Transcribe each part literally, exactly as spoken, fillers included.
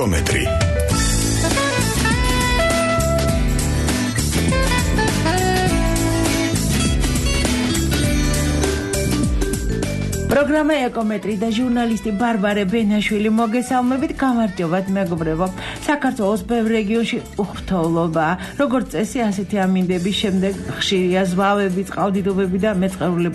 ეკომეტრი. პროგრამა ეკომეტრი და ჟურნალისტი ბარბარე ბენაშვილი მოგესალმებით. გამარჯობათ მეგობრებო. საქართველოს ბევრ რეგიონში უხრთოვლობა, როგორც წესი, ასეთი ამინდების შემდეგ ხშირია ზვავები, წყალდიდობები და მეწყერული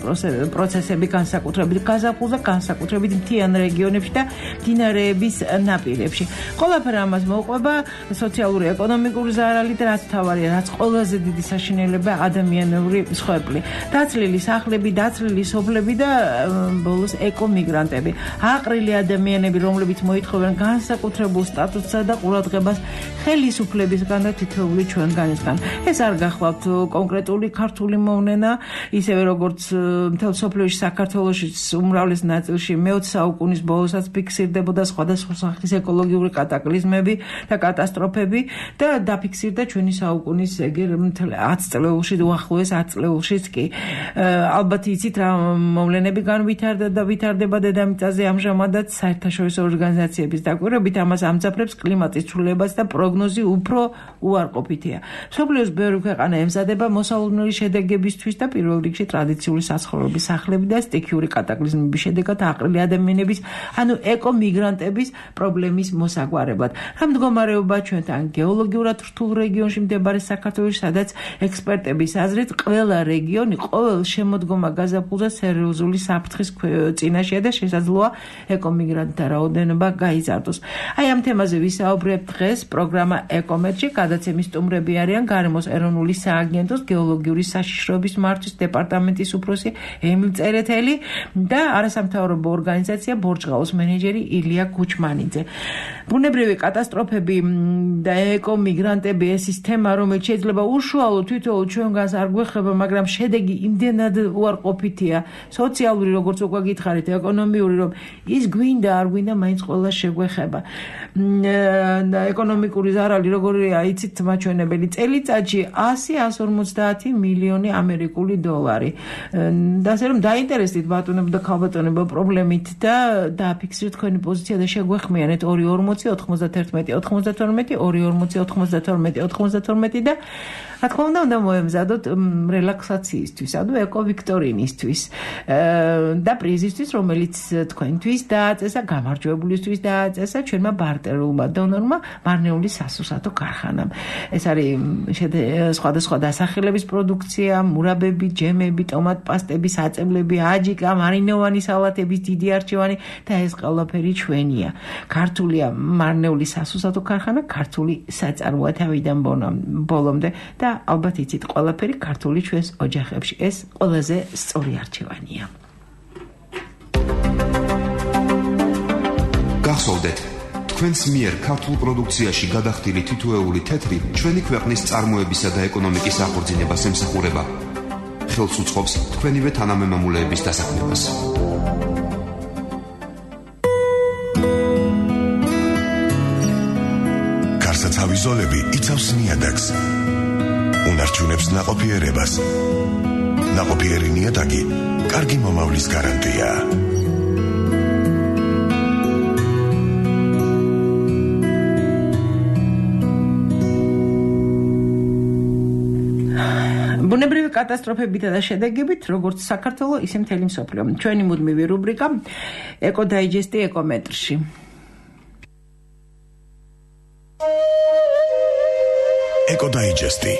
პროცესები, განსაკუთრებით გაზაფხულზე, განსაკუთრებით მთიან რეგიონებში და მდინარეების ნაპირებში. ყველაფერი ამას მოუყვება სოციალური, ეკონომიკური ზარალი და რაც მთავარია, რაც ყველაზე დიდი საშინელება ადამიანური მსხვერპლი. დაცლილი სახლები, დაცლილი სოფლები და ბოლოს ეკომიგრანტები, აყრილი ადამიანები, რომლებიც მოითხოვენ განსაკუთრებულ სტატუსსა და ყურადღებას ხელისუფლებისგან და თითოეული ჩვენგანისგან. ეს არ გახლავთ კონკრეტული ქართული მოვლენა, ისევე როგორც მთელ სოფლიოში, საქართველოში უმრავლეს ნაწილში მეოცე საუკუნის ბოლოსაც ფიქსირდებოდა სხვადასხვა სახის ეკოლოგიური კატაკლიზმები და კატასტროფები და დაფიქსირდა ჩვენი საუკუნის ეგერ მთელ ათს წლეულში, უახლოეს ათს წლეულშიც კი. ალბათ იცით რა მოვლენები განვითარდა და ვითარდება დედამიწაზე ამჟამადაც საერთაშორისო ორგანიზაციების დაკვირვებით ამას ამძაფრებს კლიმატის ცვლილებას და პროგნოზი უფრო უარყოფითია. მსოფლიოს ბევრი ქვეყანა ემზადება მოსალოდნელი შედეგებისთვის და პირველ რიგში ტრადიციული საცხოვრების სახლები და სტიქიური კატაკლიზმების შედეგად აყრილი ადამიანების, ანუ ეკომიგრანტების პრობლემის მოსაგვარებლად. რა მდგომარეობა ჩვენთან გეოლოგიურად რთულ რეგიონში მდებარე საქართველოში, სადაც ექსპერტების აზრით ყველა რეგიონი ყოველ შემოდგომა გაზაფხულზე სერიოზული საფრთხის წინაშეა და შესაძლოა ეკომიგრანტთა რაოდენობა გაიზარდოს. აი ამ თემაზე ვისაუბრებ დღეს პროგრამა ეკომეტრი. გადაცემის სტუმრები არიან გარემოს ეროვნული სააგენტოს გეოლოგიური საშიშროების მართვის დეპარტამენტის უფროსი ემილ წერეთელი და არასამთავრობო ორგანიზაცია ბორჯღაუს მენეჯერი ილია კუჩმანიძე. ბუნებრივი კატასტროფები და ეკომიგრანტები ეს ის თემა, რომელიც შეიძლება უშუალოდ თითოეულ ჩვენგანს არ გვეხება, მაგრამ შედეგი იმდენად უარყოფითია, სოციალური როგორც უკვე გითხარით, ეკონომიური, რომ ის გვინდა არ გვინდა მაინც ყველა შეგვეხება. და ეკონომიკური ზარალი როგორია იცით მაჩვენებელი წელიწადში ასი ასი ორმოცდაათი მილიონი ამერიკული დოლარი. და ასე რომ დაინტერესდით ბატონებო და ქალბატონებო პრობლემით და დააფიქსირეთ თქვენი პოზიცია და შეგვეხმიანეთ ორი ორმოცი ოთხმოცდათერთმეტი ოთხმოცდათორმეტი ორი ორმოცი ოთხმოცდათორმეტი ოთხმოცდათორმეტი და რა თქმა უნდა უნდა მოემზადოთ რელაქსაციისთვის, ანუ ეკოვიქტორინისთვის და პრიზისთვის, რომელიც თქვენთვის დააწესა, გამარჯვებულისთვის დააწესა ჩვენმა ბარტერულმა დონორმა მარნეული სასუსათო ქარხანამ. ეს არის სხვადასხვა დასახელების პროდუქცია, მურაბები, ჯემები, ტომატ პასტები, საწებლები, აჯიკა, მარინოვანი სალათების დიდი არჩევანი და ეს ყველაფერი ჩვენია. ქართულია მარნეული სასუსათო ქარხანა, ქართული საწარმოა თავიდან ბოლომდე და ალბათ იცით ყველაფერი ქართული ჩვენს ოჯახებში. ეს ყველაზე სწორი არჩევანია. გახსოვდეთ, თქვენს მიერ ქართულ პროდუქციაში გადახდილი თითოეული თეთრი ჩვენი ქვეყნის წარმოებისა და ეკონომიკის აღორძინებას ემსახურება. ხელს უწყობს თქვენივე თანამემამულეების დასაქმებას. გარსაცავი ზოლები იცავს ნიადაგს. უნარჩუნებს ნაყოფიერებას. ნაყოფიერი ნიადაგი კარგი მომავლის გარანტია. ბუნებრივი კატასტროფებითა და შედეგებით, როგორც საქართველო, ისე მთელი მსოფლიო. ჩვენი მუდმივი რუბრიკა ეკოდაიჯესტი ეკომეტრში. ეკოდაიჯესტი.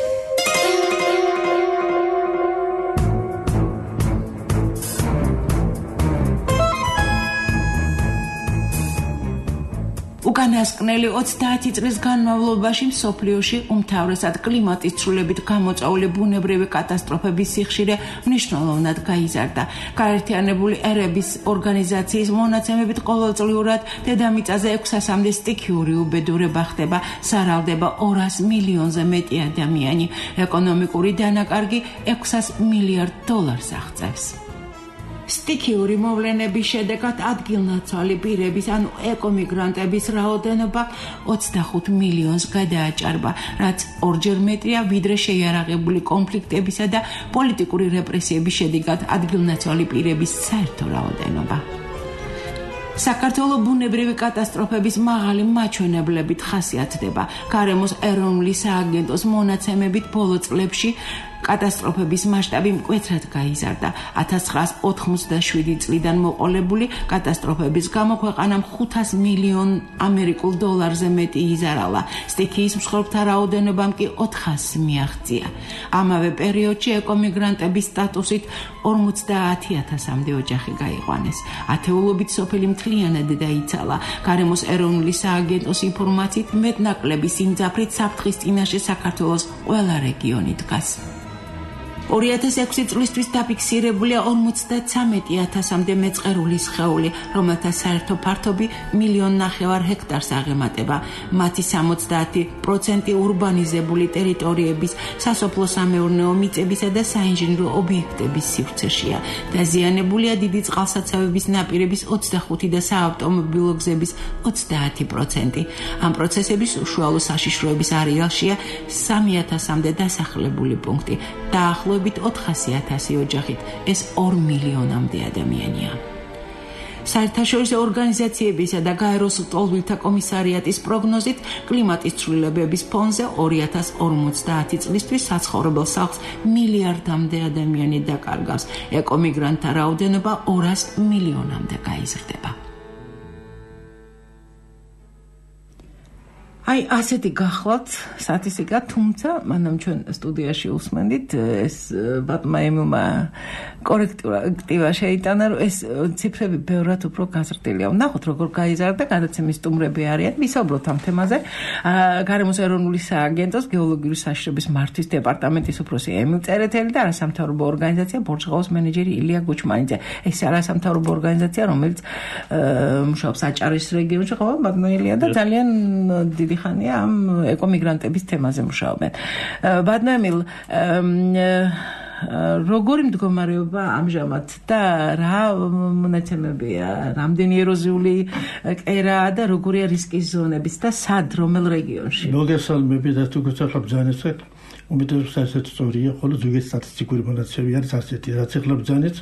უკანასკნელი ოცდაათი წლის განმავლობაში მსოფლიოში უმთავრესად კლიმატის ცვლილებით გამოწვეული ბუნებრივი კატასტროფების სიხშირე მნიშვნელოვნად გაიზარდა. გაერთიანებული ერების ორგანიზაციის მონაცემებით ყოველწლიურად დედამიწაზე ექვსასამდე სტიქიური უბედურება ხდება, სარალდება ორას მილიონზე მეტი ადამიანი. ეკონომიკური დანაკარგი ექვსას მილიარდ დოლარს აღწევს. სტიქიური მოვლენების შედეგად ადგილნაცვალი პირების, ანუ ეკომიგრანტების რაოდენობა ოცდახუთ მილიონს გადააჭარბა, რაც ორჯერ მეტია ვიდრე შეიარაღებული კონფლიქტებისა და პოლიტიკური რეპრესიების შედეგად ადგილნაცვალი პირების საერთო რაოდენობა. საქართველოს ბუნებრივი კატასტროფების მაღალი მაჩვენებლებით ხასიათდება. გარემოს ეროვნული სააგენტოს მონაცემებით ბოლო წლებში კატასტროფების მასშტაბი მკვეთრად გაიზარდა. ათას ცხრაას ოთხმოცდაშვიდი წლიდან მოყოლებული კატასტროფების გამო ქვეყანამ ხუთას მილიონ ამერიკულ დოლარზე მეტი იზარალა. სტიქიის მსხვერპლთა რაოდენობამ კი ოთხასი მიაღწია. ამავე პერიოდში ეკომიგრანტების სტატუსით ორმოცდაათი ათასამდე ოჯახი გაიყვანეს. ათეულობით სოფელი მთლიანად დაიცალა. გარემოს ეროვნული სააგენტოს ინფორმაციით მეტნაკლები სიმძაფრით საფრთხის წინაშე საქართველოს ყველა რეგიონი დგას. ორი ათას ექვსი წლისთვის დაფიქსირებულია ორმოცდათვრამეტი ათასამდე მეწყერული სხეული, რომელთა საერთო ფართობი მილიონ ნახევარ ჰექტარს აღემატება. მათი სამოცდაათი პროცენტი ურბანიზებული ტერიტორიების, სასოფლო-სამეურნეო მიწებისა და საინჟინრო ობიექტების სივრცეშია. დაზიანებულია დიდი წყალსაცავების ნაპირების ოცდახუთი და საავტომობილო გზების ოცდაათი პროცენტი. ამ პროცესების უშუალო საშიშროების არეალშია სამი ათასამდე დასახლებული პუნქტი. დაახლოებით ოთხასი ათასი ოჯახით, ეს ორ მილიონამდე ადამიანია. საერთაშორისო ორგანიზაციებისა და გაეროს ლტოლვილთა კომისარიატის პროგნოზით კლიმატის ცვლილებების ფონზე ორი ათას ორმოცდაათი წლისთვის საცხოვრებელ სახლს მილიარდამდე ადამიანი დაკარგავს. ეკომიგრანტთა რაოდენობა ორას მილიონამდე გაიზრდება. აი, ასეთი გახლავთ სტატისტიკა, თუმცა მანამ ჩვენ სტუდიაში უსმენდით ეს ბატონმა ემილმა კორექტივა შეიტანა, რომ ეს ციფრები ბევრად უფრო გაზრდილია. ნახოთ, როგორ გაიზარდა, გადაცემის სტუმრები არიან. ვისაუბროთ ამ თემაზე. გარემოს ეროვნული სააგენტოს გეოლოგიური საშიშროების მართვის დეპარტამენტის უფროსი ემილ წერეთელი და არასამთავრობო ორგანიზაცია ბორჯღაოს მენეჯერი ილია გუჩმანიძე. ეს არასამთავრობო ორგანიზაცია, რომელიც მუშაობს აჭარის რეგიონში, ხო, ბატონო ილია და ძალიან დიდი ხანია ამ ეკომიგრანტების თემაზე მუშაობენ. ბატონო ემილ, როგორი მდგომარეობა ამჟამად და რა მონაცემებია, რამდენი ეროზიული კერაა და როგორია რისკის ზონების და სად, რომელ რეგიონში? მოგესალმებით და თუ გეცახებ ბრძანებსა, უმეტესად ასეთი სწორია, ხოლო ზოგიერთი სტატისტიკური მონაცემები არის ასეთი, რაც ახლა ბრძანებს,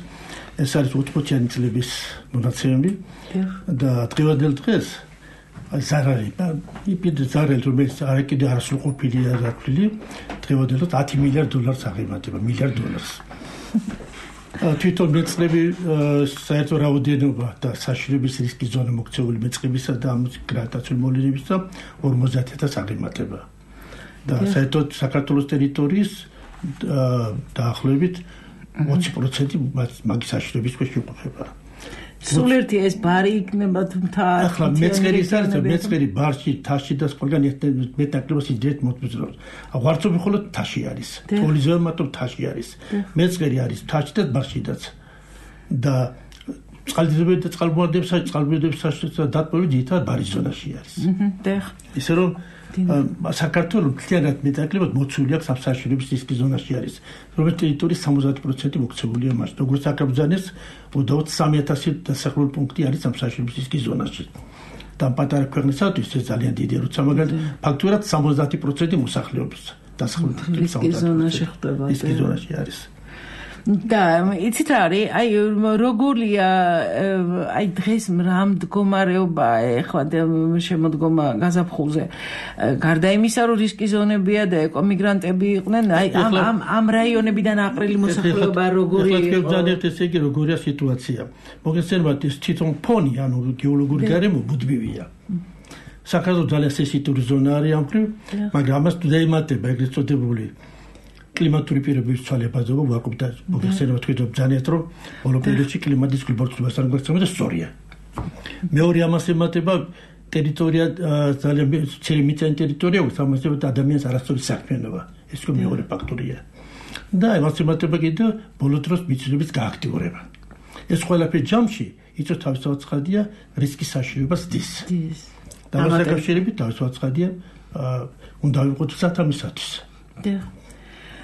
ეს არის ოთხმოციანი წლების მონაცემები და დღევანდელ დღეს ზარალი, იპირ ზარალი, რომელიც არ კიდე არასრულყოფილია დათვლილი, დღევანდელად ათი მილიარდ დოლარს აღემატება, მილიარდ დოლარს. თვითონ მეწყრები საერთო რაოდენობა და საშიშროების რისკის ზონა მოქცეული მეწყრებისა და ამ გრანტაციული მოვლენებისა ორმოცდაათი ათასს აღემატება. და საერთოდ საქართველოს ტერიტორიის დაახლოებით ოცი პროცენტი მაგის საშიშროების ქვეშ იყოფება. სულ ერთი ეს ბარი იქნება თუმცა ახლა მეწყერი ის არის, მეწყერი ბარში, თაში და ყველგან მეტნაკლებად იძეთ მოწმობს. ვარცობი მხოლოდ თაში არის. პოლიზოა მარტო თაში არის. მეწყერი არის თაში და ბარშიდაც. და წყალდიდობები და წყალმოვარდნების წყალმოვარდნების დათბობები ძირითადად ბარის ზონაში არის. ისე რომ საქართველოს მთლიანად მეტნაკლებად მოცული აქვს ამ საშიშროების რისკის ზონაში არის, რომელიც ტერიტორიის სამოცდაათი პროცენტი მოქცეულია მას. როგორც აკრძალეს, უდაოდ სამი ათასი დასახლებული პუნქტი არის ამ საშიშროების რისკის ზონაში. და პატარა ქვეყნისათვის ეს ძალიან დიდი, როცა მაგალითად ფაქტურად სამოცდაათი პროცენტი მოსახლეობის დასახლებული რისკის ზონაში ხდება. რისკის ზონაში არის. და იცით რა არის, აი როგორია, აი დღეს რა მდგომარეობაა ეხლა შემოდგომა გაზაფხულზე. გარდა იმისა, რომ რისკის ზონებია და ეკომიგრანტები იყვნენ, აი ამ ამ ამ რაიონებიდან აყრილი მოსახლეობა როგორი იყო? ეხლა ძალიან ესე იგი როგორია სიტუაცია. მოგესალმებით, ეს თვითონ ფონი, ანუ გეოლოგიური გარემო ბუდმივია. საქართველოს ძალიან სენსიტიური ზონა არის ამ მხრივ, მაგრამ ამას დაემატება ეგრეთ წოდებული კლიმატური პირობების ცვალებადობა ვაკუპდა მოგეხსენება თქვენ ძალიან რომ ბოლო პერიოდში კლიმატის გლობალურობას არ გვეცემდა სწორია. მეორე ამას ემატება ტერიტორია ძალიან ცელი მიწიანი ტერიტორია სამასებად ადამიანს არასწორი საქმიანობა. ეს კი მეორე ფაქტორია. და ამას ემატება კიდე ბოლო დროს მიწების გააქტიურება. ეს ყველაფერი ჯამში იწვევს თავისთავად ცხადია რისკის საშიშროებას დის. და ამას აკავშირებით თავისთავად ცხადია უნდა ვიყოთ სათამისათვის.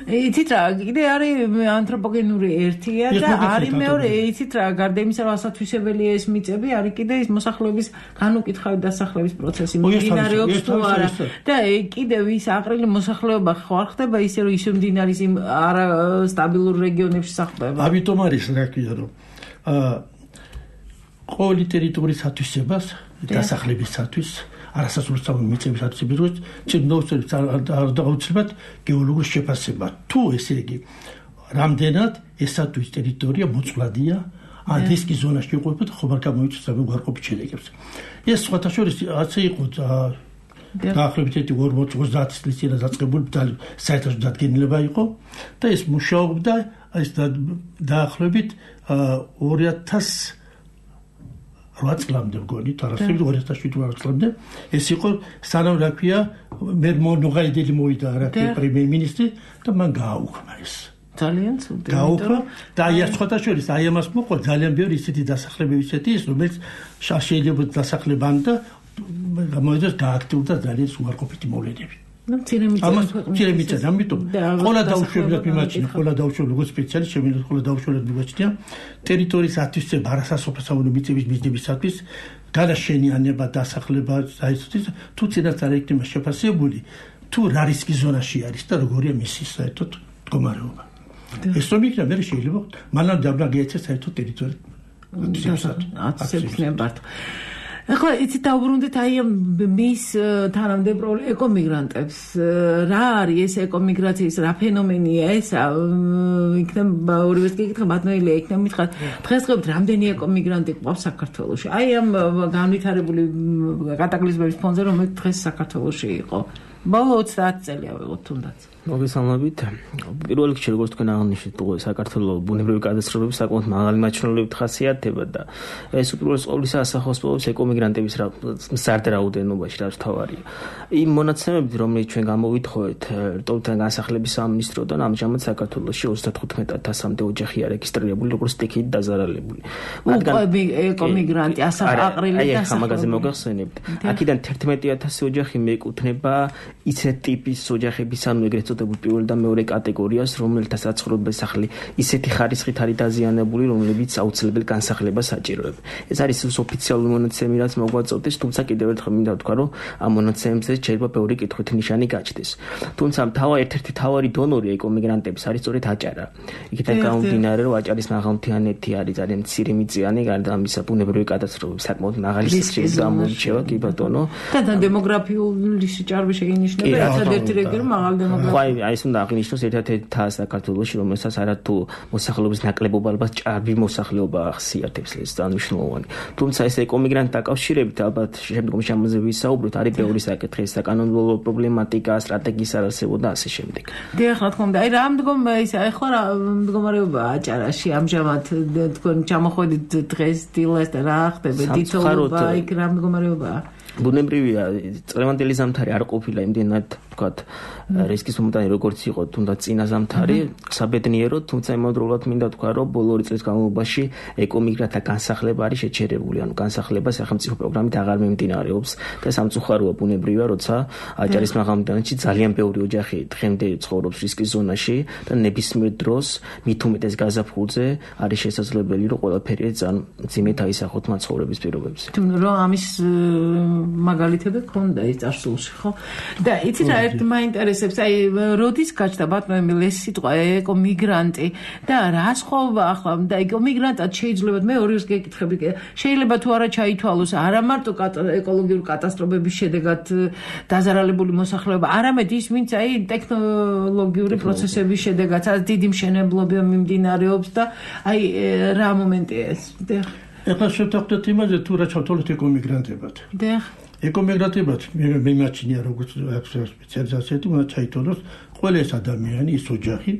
იცით რა, კიდე არის ანთროპოგენური ერთია და არის მეორე, იცით რა, გარდა იმისა, რომ ასათვისებელია ეს მიწები, არის კიდე ის მოსახლეობის განუკითხავი დასახლების პროცესი მიმდინარეობს თუ არა. და კიდე ვის აყრილი მოსახლეობა ხო არ ხდება ისე, რომ ისე მიმდინარეობს იმ არა სტაბილურ რეგიონებში სახლდება. ამიტომ არის რა ქვია, რომ ყოველი ტერიტორიის ათვისებას, დასახლებისათვის, არასასურსამო მიწების ათვისებისთვის, ცნობებს არ დაუცლებად გეოლოგურ შეფასება. თუ ესე იგი, რამდენად ესათვის ტერიტორია მოწყვლადია, ან რისკის ზონაში იყოფა და ხომ არ გამოიწვევს უარყოფით შედეგებს. ეს სხვათა შორის ასე იყო დაახლოებით ორმოცდაათი წლის წინ დაწყებული საერთაშორისო დადგენილება იყო და ეს მუშაობდა ეს დაახლოებით ორი ათას რვა წლამდე მგონი, თარასებით ორი ათას შვიდ წლამდე ეს იყო სანამ რა ქვია მე მონოღაიდელი მოვიდა რა ქვია პრემიერ-მინისტრი და მან გააუქმა ეს ძალიან ცუდი. გაუქმა და აი სხვათა შორის აი ამას მოყვა ძალიან ბევრი ისეთი დასახლებები ისეთი ის რომელიც შეიძლება დასახლებან და გამოიძეს გააქტიურდა ძალიან უარყოფითი მოვლენები. ნუ მცირე მიწა, ამიტომ ყველა დაუშვებლად მიმაჩნია, ყველა დაუშვებლად როგორც სპეციალისტი შემიძლია ყველა დაუშვებლად მიმაჩნია ტერიტორიის ათვისება არასასოფლო მიწების მიზნებისათვის, განაშენიანება, დასახლება, საერთოდ თუ წინასწარ იქნება შეფასებული, თუ რა რისკის ზონაში არის და როგორია მისი საერთოდ მდგომარეობა. ეს რომ იქნება, მე შეიძლება მანამდე არ გეცეს საერთოდ ტერიტორია ათვისების ნებართვა. ახლა იცი დაუბრუნდით აი მის თანამდებრული ეკომიგრანტებს რა არის ეს ეკომიგრაციის რა ფენომენია ეს იქნება ორივეს გეკითხა ბატონელია იქნება მითხრათ დღესდღეობით რამდენი ეკომიგრანტი ყავს საქართველოში აი ამ განვითარებული კატაკლიზმების ფონზე რომელიც დღეს საქართველოში იყო ბოლო ოცდაათი წელია ვიღოთ თუნდაც მოგესალმებით. პირველ რიგში როგორც თქვენ აღნიშნეთ, საქართველოს ბუნებრივი კატასტროფები საკმაოდ მაღალი მაჩვენებლებით ხასიათდება და ეს უპირველეს ყოვლისა ასახავს პოვებს ეკომიგრანტების მზარდ რაოდენობაში, რაც თავარია. იმ მონაცემებით, რომელიც ჩვენ გამოვითხოვეთ რტოვთან განსახლების სამინისტროდან, ამჟამად საქართველოში ოცდათხუთმეტ ათასამდე ოჯახი არეგისტრირებული, როგორც სტიქით დაზარალებული. მათგან ეკომიგრანტი ასახაყრილი და ახლა მაგაზე მოგახსენებთ. აქედან თერთმეტი ათასი ოჯახი მიეკუთვნება ისეთ ტიპის ოჯახების, ანუ ეგრეთ წოდებულ პირველ და მეორე კატეგორიას, რომელთა საცხოვრებელი სახლი ისეთი ხარისხით არის დაზიანებული, რომლებიც აუცილებელი განსახლებას საჭიროებს. ეს არის ოფიციალური მონაცემი, რაც მოგვაწოდეს, თუმცა კიდევ ერთხელ მინდა ვთქვა, რომ ამ მონაცემებზე შეიძლება ბევრი კითხვით ნიშანი გაჩნდეს. თუმცა თავა ერთ-ერთი თავარი დონორი ეკომიგრანტების არის სწორედ აჭარა. იქიდან გამომდინარე, რომ აჭარის მაღალმთიანეთი არის ძალიან მცირე მიწიანი, გარდა ამისა ბუნებრივი კატასტროფები საკმაოდ მაღალი სიხშირით გამოირჩევა, კი ბატონო. და დემოგრაფიული სიჭარბე შეინიშნება, ერთადერთი რეგიონი მაღალ დემოგრაფიული აი ეს უნდა აღინიშნოს ერთ-ერთი თასა საქართველოში, რომელსაც არათუ მოსახლეობის ნაკლებობა ალბათ ჭარბი მოსახლეობა ახსიათებს, ეს დანიშნულოვანი. თუმცა ეს ეკომიგრანტთა დაკავშირებით ალბათ შემდგომში ამაზე ვისაუბროთ, არის ბევრი საკითხი, საკანონმდებლო პრობლემატიკა, სტრატეგიის არარსებობა და ასე შემდეგ. დიახ, რა თქმა უნდა, აი რა მდგომ ის ახლა რა მდგომარეობა აჭარაში ამჟამად თქვენ ჩამოხვედით დღეს დილას და რა ხდება დიტოობა, იქ რა მდგომარეობაა? ბუნებრივია, წლევანდელი ზამთარი არ ყოფილა იმდენად ვთქვათ რისკის მომენტი როგორც იყო, თუნდაც წინა ზამთარი, საბედნიეროდ, თუმცა იმავდროულად მინდა ვთქვა, რომ ბოლო ორი წლის განმავლობაში ეკომიგრანტთა განსახლება არის შეჩერებული, ანუ განსახლება სახელმწიფო პროგრამით აღარ მიმდინარეობს და სამწუხაროა ბუნებრივია, როცა აჭარის მაღალმთიანეთში ძალიან ბევრი ოჯახი დღემდე ცხოვრობს რისკის ზონაში და ნებისმიერ დროს მით უმეტეს გაზაფხულზე არის შესაძლებელი, რომ ყველაფერი ძალიან მძიმედ აისახოთ მაცხოვრების პირობებზე. თუმცა რომ ამის მაგალითები ქონდა ის წარსულში, ხო? და იცი რა ერთ მაინტერესებს, აი როდის გაჩნდა ბატონო ეს სიტყვა ეკომიგრანტი და რა სხვაობა ახლა და ეკომიგრანტად შეიძლება მე ორივეს გეკითხები, შეიძლება თუ არა ჩაითვალოს არა მარტო ეკოლოგიური კატასტროფების შედეგად დაზარალებული მოსახლეობა, არამედ ის ვინც აი ტექნოლოგიური პროცესების შედეგად დიდი მშენებლობა მიმდინარეობს და აი რა მომენტია ეს? ეხლა შევთანხმდეთ იმაზე, თუ რა ჩავთვალოთ ეკომიგრანტებად. დიახ. ეკომიგრანტებად მე მიმაჩნია როგორც სპეციალიზაციები, უნდა ჩაითვალოს ყველა ეს ადამიანი, ის ოჯახი,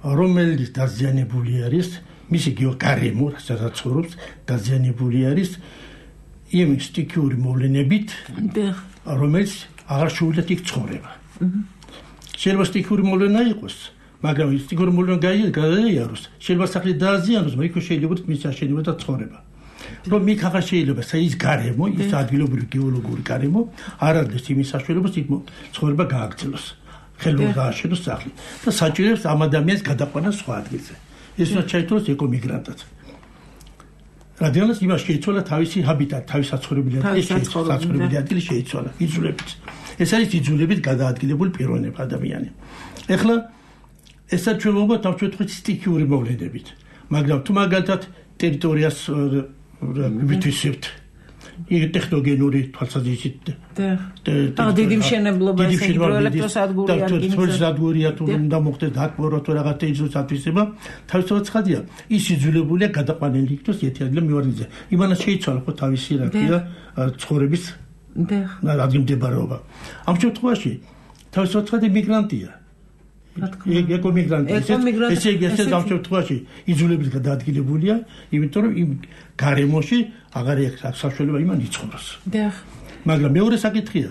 რომელიც დაზიანებული არის, მისი გეოგარემო, სადაც ცხოვრობს, დაზიანებული არის იმ სტიქიური მოვლენებით, რომელიც აღარ შეუძლიათ იქ ცხოვრება. შეიძლება სტიქიური მოვლენა იყოს, მაგრამ ის სტიქიური მოვლენა გაიაროს, შეიძლება სახლი დააზიანოს, მაგრამ იქ შეიძლება მის აშენება და ცხოვრება. რომ იქ აღარ შეიძლება ის გარემო, ის ადგილობრივი გეოლოგური გარემო არ არის იმის საშუალებას იქ ცხოვრება გააგრძელოს. ხელოვნურად დააშენოს სახლი და საჭიროებს ამ ადამიანს გადაყვანა სხვა ადგილზე. ეს უნდა ჩაითვალოს ეკომიგრანტად. რადგანაც იმას შეიცვალა თავისი ჰაბიტატი, თავისი საცხოვრებელი ადგილი, საცხოვრებელი ადგილი შეიცვალა, იძულებით. ეს არის იძულებით გადაადგილებული პიროვნება ადამიანი. ეხლა ესა ჩვენ მოგვა დავწვეთქვით სტიქიური მოვლენებით, მაგრამ თუ მაგალითად ტერიტორიას ვიტვისებთ იგი ტექნოგენური თვალსაზრისით და დიდი მშენებლობა ეს ელექტროსადგური არგინიზაცია თუ უნდა მოხდეს დაკმაყოფილება თუ რაღაცა ის ათვისება თავისთავად ცხადია ის იძულებულია გადაყვანილი იქნას ერთადერთი მივარდიზე იმანაც შეიცვალა ხო თავისი რა ქვია ცხოვრების ადგილმდებარეობა ამ შემთხვევაში თავისთავად ცხადი მიგრანტია ეკო მიგრანტი ესე იგი ეს ამ შემთხვევაში იძულებით გადაადგილებულია იმიტომ რომ იმ გარემოში აღარ აქვს საშუალება იმან იცხოვროს მაგრამ მეორე საკითხია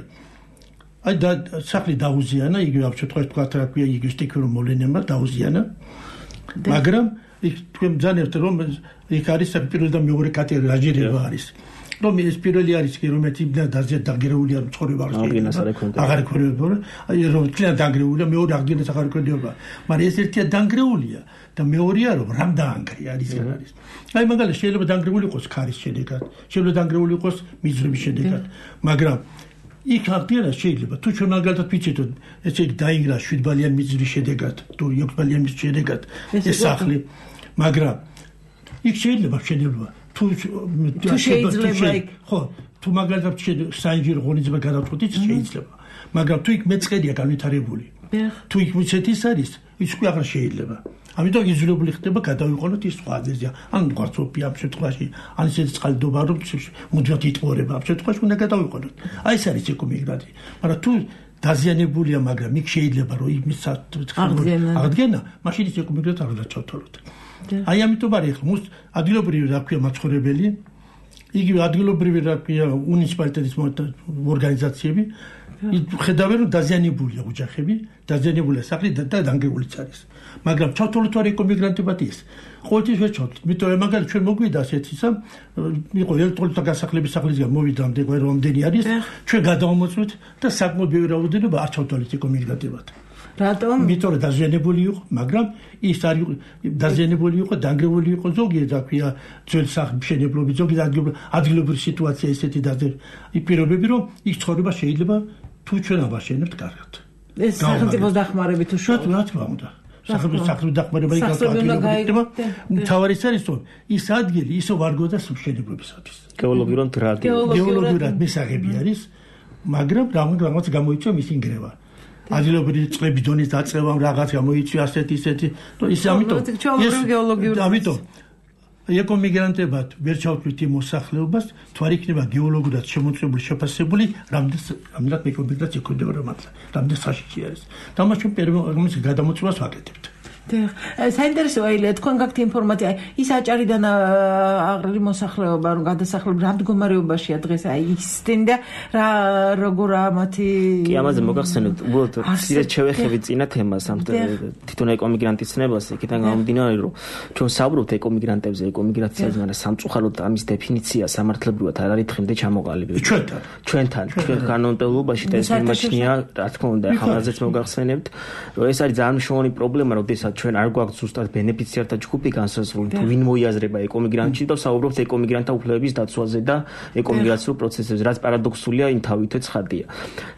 აი და სახლი დაუზიანა იგი ამ შემთხვევაში თქვა რა ქვია იგი სტიქიურ მოვლენებმა დაუზიანა მაგრამ იქ თქვენ ბძანებთ რომ იქ არის პირველი და მეორე კატეგორია აჯერება არის რომ ეს პირველი არის კი რომ ერთი დაზიანდა დაგერეულია ცხოვრება აღარ ქონებოდა აი რომ თლიან დაგერეულია მეორე აღდგენას აღარ ქონებოდა მაგრამ ეს ერთია დაგერეულია და მეორეა რომ რამ დაანგრია არის არის აი მაგალითად შეიძლება დაგერეული იყოს ქარის შედეგად შეიძლება დაგერეული იყოს მიზრების შედეგად მაგრამ იქ აღდგენა შეიძლება თუ ჩვენ მაგალითად ვიცით რომ ესე იგი დაინგრა შვიდბალიანი მიზრის შედეგად თუ ექვსბალიანი მიზრის შედეგად ეს სახლი მაგრამ იქ შეიძლება შედება თუ თუ შეიძლება იქ ხო თუ მაგალითად საინჟინრო ღონისძიება გადავწყვეტით შეიძლება მაგრამ თუ იქ მეწყერია განვითარებული თუ იქ ვიცით ის არის ის უკვე აღარ შეიძლება ამიტომ იძულებული ხდება გადავიყოლოთ ის სხვა აზერია ან გვარცოფია ამ შემთხვევაში ან ისეთი წყალდობა რომ მუდმივად იტყორება ამ შემთხვევაში უნდა გადავიყოლოთ აი ეს არის ეკომიგრანტი მაგრამ თუ დაზიანებულია მაგრამ იქ შეიძლება რომ იმის აღდგენა მაშინ ის ეკომიგრანტი არ უნდა ჩავთვალოთ აი ამიტომ არის ხო ადგილობრივი რა ქვია მაცხოვრებელი იგივე ადგილობრივი რა ქვია მუნიციპალიტეტის ორგანიზაციები ხედავენ რომ დაზიანებულია ოჯახები დაზიანებულია სახლი და დანგრეულიც არის მაგრამ ჩავთვალოთ არ ეკომიგრანტებად ის ყოველთვის ვერ ჩავთვალოთ იმიტომ რომ მაგალითად ჩვენ მოგვიდა ასეთ ისა იყო ელექტროლიტა გასახლების სახლისგან მოვიდა ამდენი რამდენი არის ჩვენ გადავამოწმეთ და საკმაოდ ბევრი რაოდენობა არ ჩავთვალეთ ეკომიგრანტებად რატომ? იმიტომ რომ დაზიანებული იყო, მაგრამ ის არის დაზიანებული იყო, დანგრეული იყო ზოგი რა ქვია, ძველ სახმშენებლობის ზოგი ადგილობრივი სიტუაცია ესეთი პირობები, რომ იქ ცხოვრება შეიძლება თუ ჩვენ აბაშენებთ კარგად. ეს სახელმწიფოს დახმარებით თუ შუა რა თქმა უნდა. სახელმწიფოს სახელმწიფოს დახმარება იქნება. თავარი ის არის, რომ ის ადგილი ისო ვარგოდა სამშენებლობისათვის. გეოლოგიურად რადი. გეოლოგიურად მისაღები არის, მაგრამ რაღაც გამოიწვია მისი ნგრევა. ადგილობრივი წყლების დონის დაწევა რაღაც გამოიწვია ასეთი ისეთი ის ამიტომ ამიტომ ეკომიგრანტებად ვერ ჩავთვლით იმ მოსახლეობას თუ არ იქნება გეოლოგიურად შემოწმებული შეფასებული რამდენად ეკომიგრანტს ეკონდება რომ რამდენ საშიში არის და მას ჩვენ პირველ გადამოწმებას ვაკეთებთ საინტერესოა ილია თქვენ გაქვთ ინფორმაცია ის აჭარიდან აღრილი მოსახლეობა რომ გადასახლებული რა მდგომარეობაშია დღეს აი ისდენ და რა როგორა მათი კი ამაზე მოგახსენებთ უბრალოდ ცირე შევეხებით წინა თემას ამ თვითონ ეკომიგრანტის ცნებას იქიდან გამომდინარე რომ ჩვენ საუბრობთ ეკომიგრანტებზე ეკომიგრაციაზე მაგრამ სამწუხაროდ ამის დეფინიცია სამართლებრივად არ არის დღემდე ჩამოყალიბებული ჩვენთან ჩვენთან ჩვენ კანონმდებლობაში და ეს მიმაჩნია რა თქმა უნდა ახალაზეც მოგახსენებთ რომ ეს არის ძალიან მნიშვნელოვანი პრობლემა როდესაც ჩვენ არ გვაქვს ზუსტად ბენეფიციართა ჯგუფი განსაზღვრული თუ ვინ მოიაზრება ეკომიგრანტში და საუბრობთ ეკომიგრანტთა უფლებების დაცვაზე და ეკომიგრაციულ პროცესებზე რაც პარადოქსულია იმთავითვე ცხადია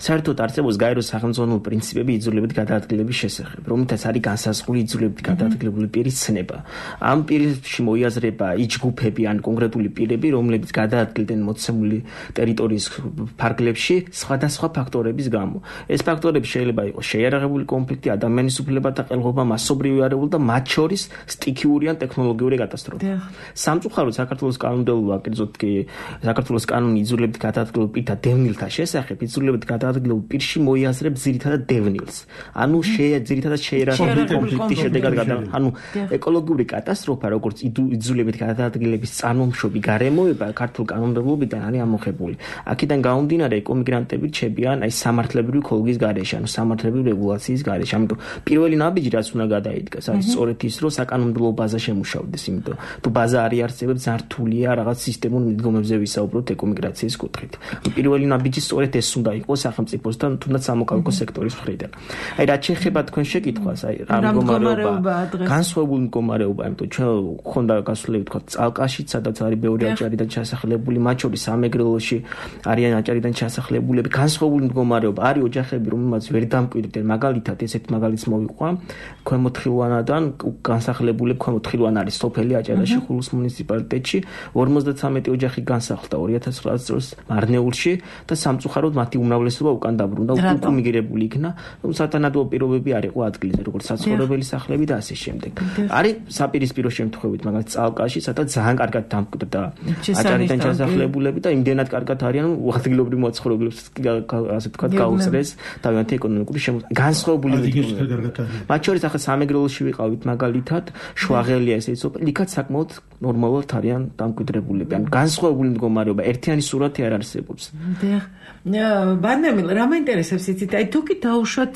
საერთოდ არსებობს გაერო სახელმწიფო პრინციპები იძულებით გადაადგილების შესახებ რომლითაც არის განსაზღვრული იძულებით გადაადგილებული პირის ცნება ამ პირში მოიაზრება ის ჯგუფები ან კონკრეტული პირები რომლებიც გადაადგილდნენ მოცემული ტერიტორიის ფარგლებში სხვადასხვა ფაქტორების გამო ეს ფაქტორები შეიძლება იყოს შეიარაღებული კონფლიქტი ადამიანის უფლებათა ყელღობა მასობრივი არეული და მათ შორის სტიქიური ან ტექნოლოგიური კატასტროფა. სამწუხაროდ საქართველოს კანონმდებლობა, კერძოდ კი საქართველოს კანონი იძულებით გადაადგილებულ პირთა დევნილთა შესახებ იძულებით გადაადგილებულ პირში მოიაზრებს ძირითადად დევნილს. ანუ ძირითადად შეიარაღებული კონფლიქტის შედეგად გადა. ანუ ეკოლოგიური კატასტროფა, როგორც იძულებით გადაადგილების წარმოშობი გარემოება ქართულ კანონმდებლობიდან არის ამოხებული. აქედან გამომდინარე ეკომიგრანტები რჩებიან აი სამართლებრივი ქოლგის გარეშე, ანუ სამართლებრივი რეგულაციის გარეშე. ამიტომ პირველი ნაბიჯი რაც უნდა გადაიდგას არის სწორედ ის რომ საკანონმდებლო ბაზა შემუშავდეს იმიტომ თუ ბაზა არ იარსებებს ზართულია რაღაც სისტემურ მიდგომებზე ვისაუბროთ ეკომიგრაციის კუთხით პირველი ნაბიჯი სწორედ ეს უნდა იყოს სახელმწიფოსთან თუნდაც სამოქალაქო სექტორის მხრიდან აი რაც შეეხება თქვენ შეკითხვას აი რა მდგომარეობა განსხვავებული მდგომარეობა იმიტომ ჩვენ ხონდა გასვლები თქვა წალკაშიც სადაც არის ბევრი აჭარიდან ჩასახლებული მათ შორის სამეგრელოში არიან აჭარიდან ჩასახლებულები განსხვავებული მდგომარეობა არის ოჯახები რომელმაც ვერ დამკვიდრდნენ მაგალითად ესეთ მაგალითს მოვიყვა ქვემოთ თხილვანადან განსახლებული ქვემოთ თხილვან არის სოფელი აჭარაში ხულოს მუნიციპალიტეტში ორმოცდათრამეტი ოჯახი განსახლდა ორი ათას ცხრაას წელს მარნეულში და სამწუხაროდ მათი უმრავლესობა უკან დაბრუნდა უკუ მიგრებული იქნა სათანადო პირობები არ იყო ადგილზე როგორც საცხოვრებელი სახლები და ასე შემდეგ არის საპირისპირო შემთხვევით მაგალითად წალკაში სადაც ძალიან კარგად დამკვიდრდა აჭარიდან ჩასახლებულები და იმდენად კარგად არიან ადგილობრივ მოცხოვრებლებს ასე ვთქვათ გაუწრეს თავიანთი ეკონომიკური განსხვავებული მათ შორის ახლა სამეგრელოში ვიყავით მაგალითად შვაღელია ესე იცო იქაც საკმაოდ ნორმალურად არიან დამკვიდრებულები ან განსხვავებული მდგომარეობა ერთიანი სურათი არ არსებობს ბანემილ რა მაინტერესებს იცით აი თუ კი დაუშვათ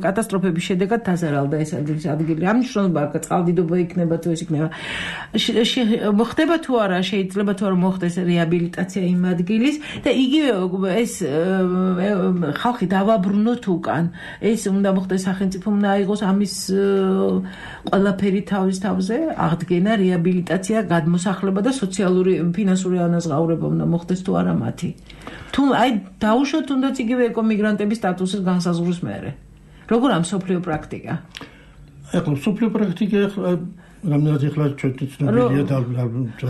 კატასტროფების შედეგად დაზარალდა ეს ადგილი ამ მნიშვნელობა აქვს წყალდიდობა იქნება თუ ეს იქნება მოხდება თუ არა შეიძლება თუ არა მოხდეს რეაბილიტაცია იმ ადგილის და იგივე ეს ხალხი დავაბრუნოთ უკან ეს უნდა მოხდეს სახელმწიფო უნდა აიღოს ამის ყველაფერი თავის თავზე აღდგენა რეაბილიტაცია გადმოსახლება და სოციალური ფინანსური ანაზღაურება უნდა მოხდეს თუ არა მათი თუ აი დაუშვათ თუნდაც იგივე ეკომიგრანტების სტატუსის განსაზღვრის მერე როგორ ამ სოფლიო პრაქტიკა ეხლა სოფლიო პრაქტიკა რამდენად ეხლა ჩვენი ცნობილია და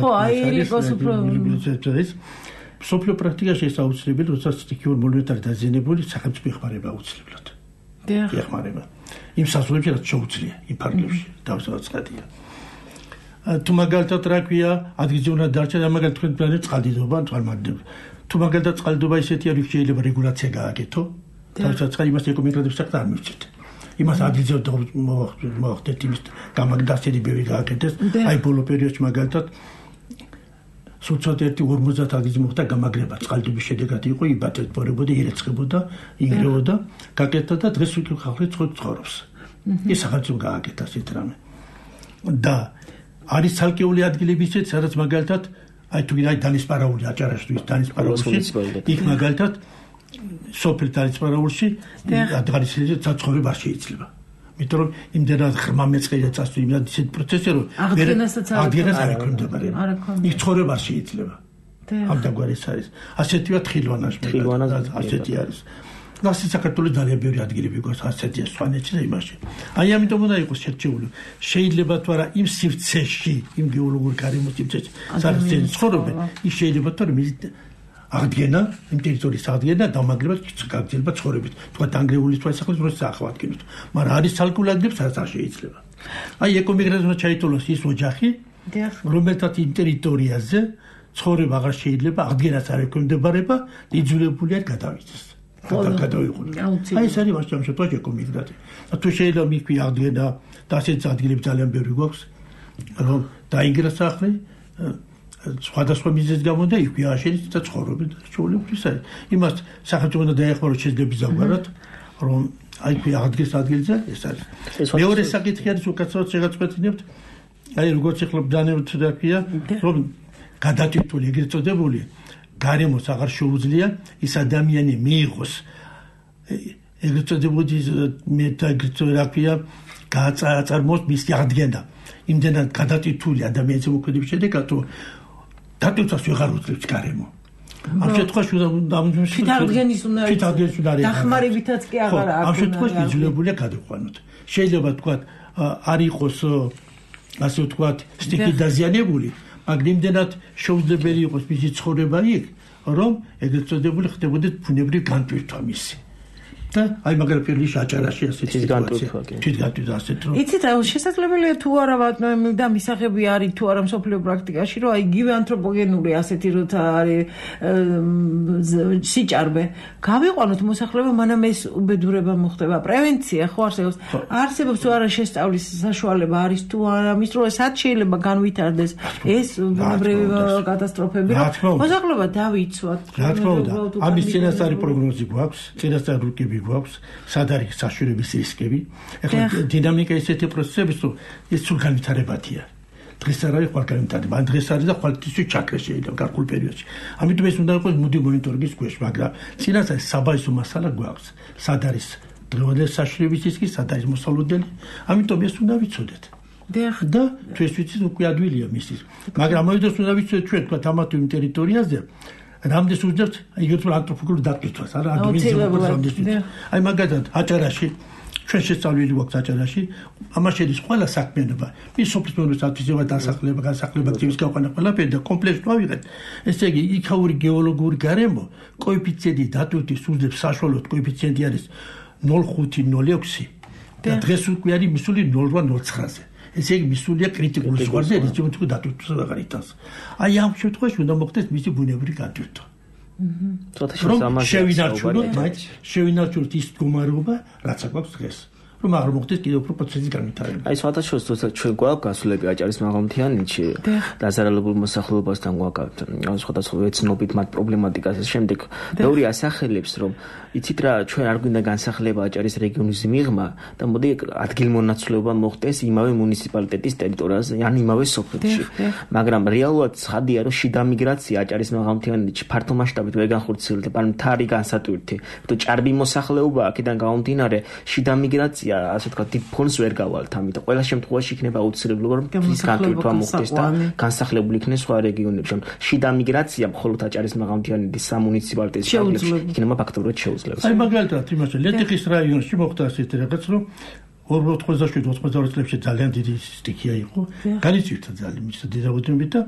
ხო აი იყოს უფრო სოფლიო პრაქტიკაში ეს აუცილებელი როდესაც სტიქიურ მონეტარი დაზიანებული სახელმწიფო ეხმარება აუცილებლად ეხმარება იმ საზღვრებში რაც შეუძლია იმ ფარგლებში დავსაწყადია თუ მაგალითად რა ქვია ადგილზე უნდა დარჩა და მაგალითად თქვენ პლანეტ წყალდიდობა წყალმარდები თუ მაგალითად წყალდიდობა ისეთი არის შეიძლება რეგულაცია გააკეთო დავსაწყად იმას ეკომიგრანტებს საქმე არ მივცეთ იმას ადგილზე მოახდეთ იმის გამაგდასილი ბევრი გააკეთეს აი ბოლო პერიოდში მაგალითად სულცად ერთი ორმოცდაათ ადგილზე მოხდა გამაგრება წყალდიდობის შედეგად იყო იბატებოდა ირეცხებოდა ინგრეოდა გაკეთდა და დღეს უკვე ხალხი ცხოვრობს ეს სახელმწიფო გააკეთა ასეთ რამე და არის ცალკეული ადგილები ისეთ სადაც მაგალითად აი თუ აი დანისპარაული აჭარაშვილის დანისპარაულში იქ მაგალითად სოფელ დანისპარაულში ადგილზე საცხოვრება შეიძლება იმიტომ რომ იმდენად ღრმა მეწყერია წასული იმდენად ისეთ პროცესი რომ აღდგენას არ ექვემდებარება იქ ცხოვრება შეიძლება ამ დაგვარეს არის ასეთია თხილვანაში ასეთი არის ნასი საქართველოს ძალიან ბევრი ადგილები გვაქვს ასეთია სვანეთში და იმაში აი ამიტომ უნდა იყოს შერჩეული შეიძლება თუ არა იმ სივრცეში იმ გეოლოგურ გარემოს სივრცეში სადაც ცხოვრობენ ის შეიძლება თუ არა აღდგენა იმ ტერიტორიის აღდგენა დამაგრება გაგრძელება ცხოვრებით თქვა დანგრეული თვალსაჩინო დროს ახავადგინოთ მაგრამ არის ცალკეულ ადგილებს სადაც არ შეიძლება აი ეკომიგრაცია ჩაითვალოს ის ოჯახი რომელთაც იმ ტერიტორიაზე ცხოვრება აღარ შეიძლება აღდგენას არ ექვემდებარება იძულებულია გადავიდეს გადავიყუროს აი ეს არის მასშტაბ შემთხვევაში ეკომიგრაცია და თუ შეიძლება მიქვი აღდგენა და ასეთ ადგილებს ძალიან ბევრი გვაქვს რომ დაიგრა სახლი სხვადასხვა მიზეზის გამო და იქვე აშენეთ და ცხოვრობენ და ჩვეულებრივ არის იმას სახელმწიფო უნდა დაეხმაროს შეიძლება ზოგადად რომ აი ქვი აღდგეს ადგილზე ეს არის მეორე საკითხი არის უკაცრავად შეგაწყვეტინებთ აი როგორც ეხლა ბრძანებთ და ქვია რომ გადატვირთული ეგრეთ წოდებული გარემოს აღარ შეუძლია ის ადამიანი მიიღოს ეგრეთ წოდებული მე და ეგრეთ რა ქვია გააწარმოოს მისი აღდგენა იმდენად გადატვირთული ადამიანის მოქმედების შედეგად რომ დატვირთვას ვეღარ უძლებს გარემო ამ შემთხვევაში თვითაღდგენის უნდა დახმარებითაც კი აღარ აქვს ამ შემთხვევაში იძულებულია გადაყვანოთ შეიძლება თქვა არ იყოს ასე ვთქვათ სტიქი დაზიანებული მაგრამ იმდენად შეუძლებელი იყოს მისი ცხოვრება იქ რომ ეგრეთ წოდებული ხდებოდა ბუნებრივი განტვირთვა მისი და აი მაგრამ პირველი აჭარაში ასეთი სიტუაცია თვითგატვირთვა ასეთ რომ იცით შესაძლებელია თუ არა ვატნოები და მისაღები არის თუ არა მსოფლიო პრაქტიკაში რომ აი იგივე ანთროპოგენური ასეთი როცა არის სიჭარბე გავიყვანოთ მოსახლეობა მანამ ეს უბედურება მოხდება პრევენცია ხო არსებობს არსებობს თუ არა შესწავლის საშუალება არის თუ არა მის დროს სად შეიძლება განვითარდეს ეს ბუნებრივი კატასტროფები რომ მოსახლეობა დავიცვათ რა თქმა უნდა ამის წინასწარი პროგნოზი გვაქვს წინასწარი რუკები გვაქვს სად არის საშუალების რისკები ეხლა დინამიკა ისეთი პროცესების თუ ეს სულ განვითარებადია დღეს არ არის ხვალ განვითარება ან დღეს არის და ხვალთვისაც ჩაქრა შეიძლება გარკვეულ პერიოდში ამიტომ ეს უნდა იყოს მოდი მონიტორინგის ქვეშ მაგრამ წინასწარი საბაჟო მასალა გვაქვს სად არის დღევანდელი საშუალების რისკი სად არის მოსალოდნელი ამიტომ ეს უნდა ვიცოდეთ და თუ ეს ვიცით უკვე ადვილია მისის მაგრამ მოიდეს უნდა ვიცოდეთ ჩვენ თქვა თამათი იმ ტერიტორიაზე რამდენს უძებთ იგივე ანთროპოლოგიური დატვირთვას არა ადამიანის აი მაგალითად აჭარაში ჩვენ შესწავლილი გვაქვს აჭარაში, ამას შედის ყველა საქმიანობა. მის სოფლის მეურნეობის ათვისება, დასახლება, განსახლება, აქტივის გაყვანა ყველაფერი და კომპლექსს ვავიღეთ. ესე იგი, იქაური გეოლოგიური გარემო კოეფიციენტი დატვირთვის სულებს საშუალოდ კოეფიციენტი არის ნულ ხუთი ნულ ექვსი და დღეს უკვე არის მისული ნულ რვა ნულ ცხრაზე. ესე იგი, მისულია კრიტიკულ ზღვარზე, რითაც უკვე დატვირთვას აღარ იტანს. აი ამ შემთხვევაში უნდა მოხდეს მისი ბუნებრივი გატვირთვა. რომ შევინარჩუნოთ, բայց შევინარჩუნოთ ის მდგომარეობა, რაც აქვს დღეს. რომ არ მოხდეს კიდევ უფრო პროცესის განვითარება. აი სხვათა შორის თორსა ჩვენ გვაქვს გასულები აჭარის მაღალმთიანეთში დაზარალებულ მოსახლეობასთან გვაქვს სხვადასხვა ეცნობით მათ პრობლემატიკას შემდეგ ბევრი ასახელებს რომ იცით რა ჩვენ არ გვინდა განსახლება აჭარის რეგიონის მიღმა და მოდი ადგილმონაცვლეობა მოხდეს იმავე მუნიციპალიტეტის ტერიტორიაზე ან იმავე სოფელში მაგრამ რეალურად ცხადია რომ შიდა მიგრაცია აჭარის მაღალმთიანეთში ფართო მასშტაბით ვერ განხორციელდება ან მთარი განსატვირთი თუ ჭარბი მოსახლეობა აქედან გამომდინარე შიდა მიგრაცია ასე თქვა დიდ ფონს ვერ გავალთ ამიტომ ყველა შემთხვევაში იქნება აუცილებლობა რომ ის განტვირთვა მოხდეს და განსახლებული იქნეს სხვა რეგიონებში შიდა მიგრაცია მხოლოდ აჭარის მაღალმთიანეთის სამუნიციპალიტეტის იქნება ფაქტობრივად შეუძლებს აი მაგალითად იმაში ლეტიხის რაიონში მოხდა ასეთი რაღაც რომ ორმოცდაშვიდ ოცდაოთხ წლებში ძალიან დიდი სტიქია იყო განიცვირთა ძალიან მის დედაუდებით და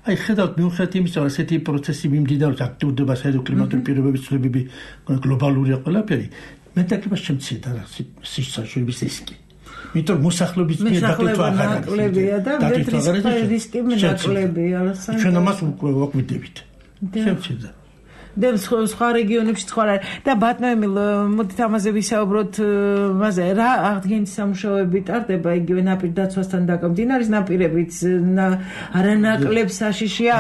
აი ხედავთ მიუხედავად იმისა რომ ასეთი პროცესი მიმდინარეობს აქტიურდება საერთო კლიმატური პირობების ცვლილებები გლობალურია ყველაფერი მეტაკებას შემცირდა რა სიცოცხლების რისკი. იმიტომ მოსახლეობის მიერ დატვირთვა აღარ ნაკლებია და რისკი ნაკლებია. ჩვენ ამას უკვე ვაკვირდებით. შემცირდა. და სხვა რეგიონებში სხვა და ბატონო მოდით ამაზე ვისაუბროთ მასე რა აღდგენითი სამუშაოები ტარდება იგივე ნაპირ დაცვასთან დაკავშირებით ნაპირებით არანაკლებ საშიშია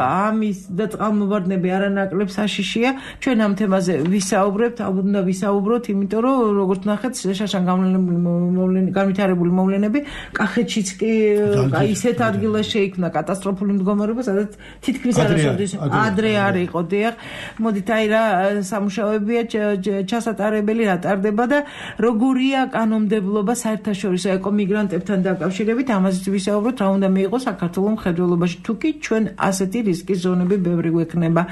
ამის და წყალმოვარდნები არანაკლებ საშიშია ჩვენ ამ თემაზე ვისაუბრებთ ალბათ უნდა ვისაუბროთ იმიტომ რომ როგორც ნახეთ შაშან განვითარებული მოვლენები კახეთშიც კი ისეთ ადგილას შეიქმნა კატასტროფული მდგომარეობა სადაც თითქმის არასოდეს ადრე არ იყო დიახ მოდით აი რა სამუშაოებია ჩასატარებელი რა ტარდება და როგორია კანონმდებლობა საერთაშორისო ეკომიგრანტებთან დაკავშირებით ამაზეც ვისაუბროთ რა უნდა მიიღოს საქართველოს მხედველობაში თუ კი ჩვენ ასეთი რისკის ზონები ბევრი გვექნება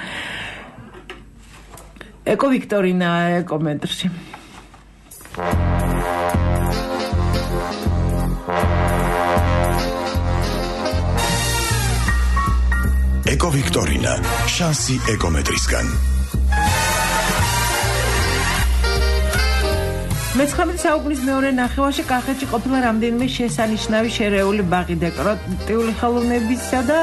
ეკო ვიქტორინა კომენტარში ეკო ვიქტორინა შანსი ეკომეტრისგან მეცხრამეტე საუკუნის მეორე ნახევარში კახეთში ყოფილა რამდენიმე შესანიშნავი შერეული ბაღი დეკორატიული ხელოვნებისა და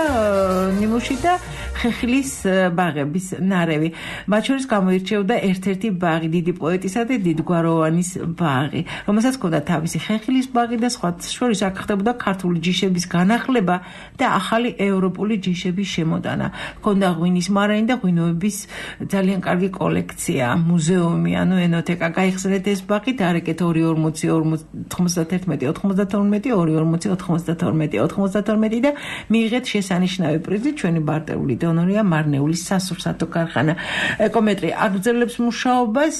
ნიმუში და ხეხილის ბაღების ნარევი. მათ შორის გამოირჩეოდა ერთ-ერთი ბაღი დიდი პოეტისა და დიდგვაროვანის ბაღი, რომელსაც ჰქონდა თავისი ხეხილის ბაღი და სხვა შორის აქ ხდებოდა ქართული ჯიშების განახლება და ახალი ევროპული ჯიშების შემოტანა. ჰქონდა ღვინის მარანი და ღვინოების ძალიან კარგი კოლექცია, მუზეუმი, ანუ ენოთეკა. გაიხსნეთ ეს ბაღი არეკეთ ორი ორმოცი თხმოცდაერთმეტი ოთხმოცდათორმეტი ორი ორმოცი ოთხმოცდათორმეტი ოთხმოცდათორმეტი და მიიღეთ შესანიშნავი პრიზი ჩვენი ბარტერული დონორია მარნეულის სასურსათო ქარხანა ეკომეტრი აგრძელებს მუშაობას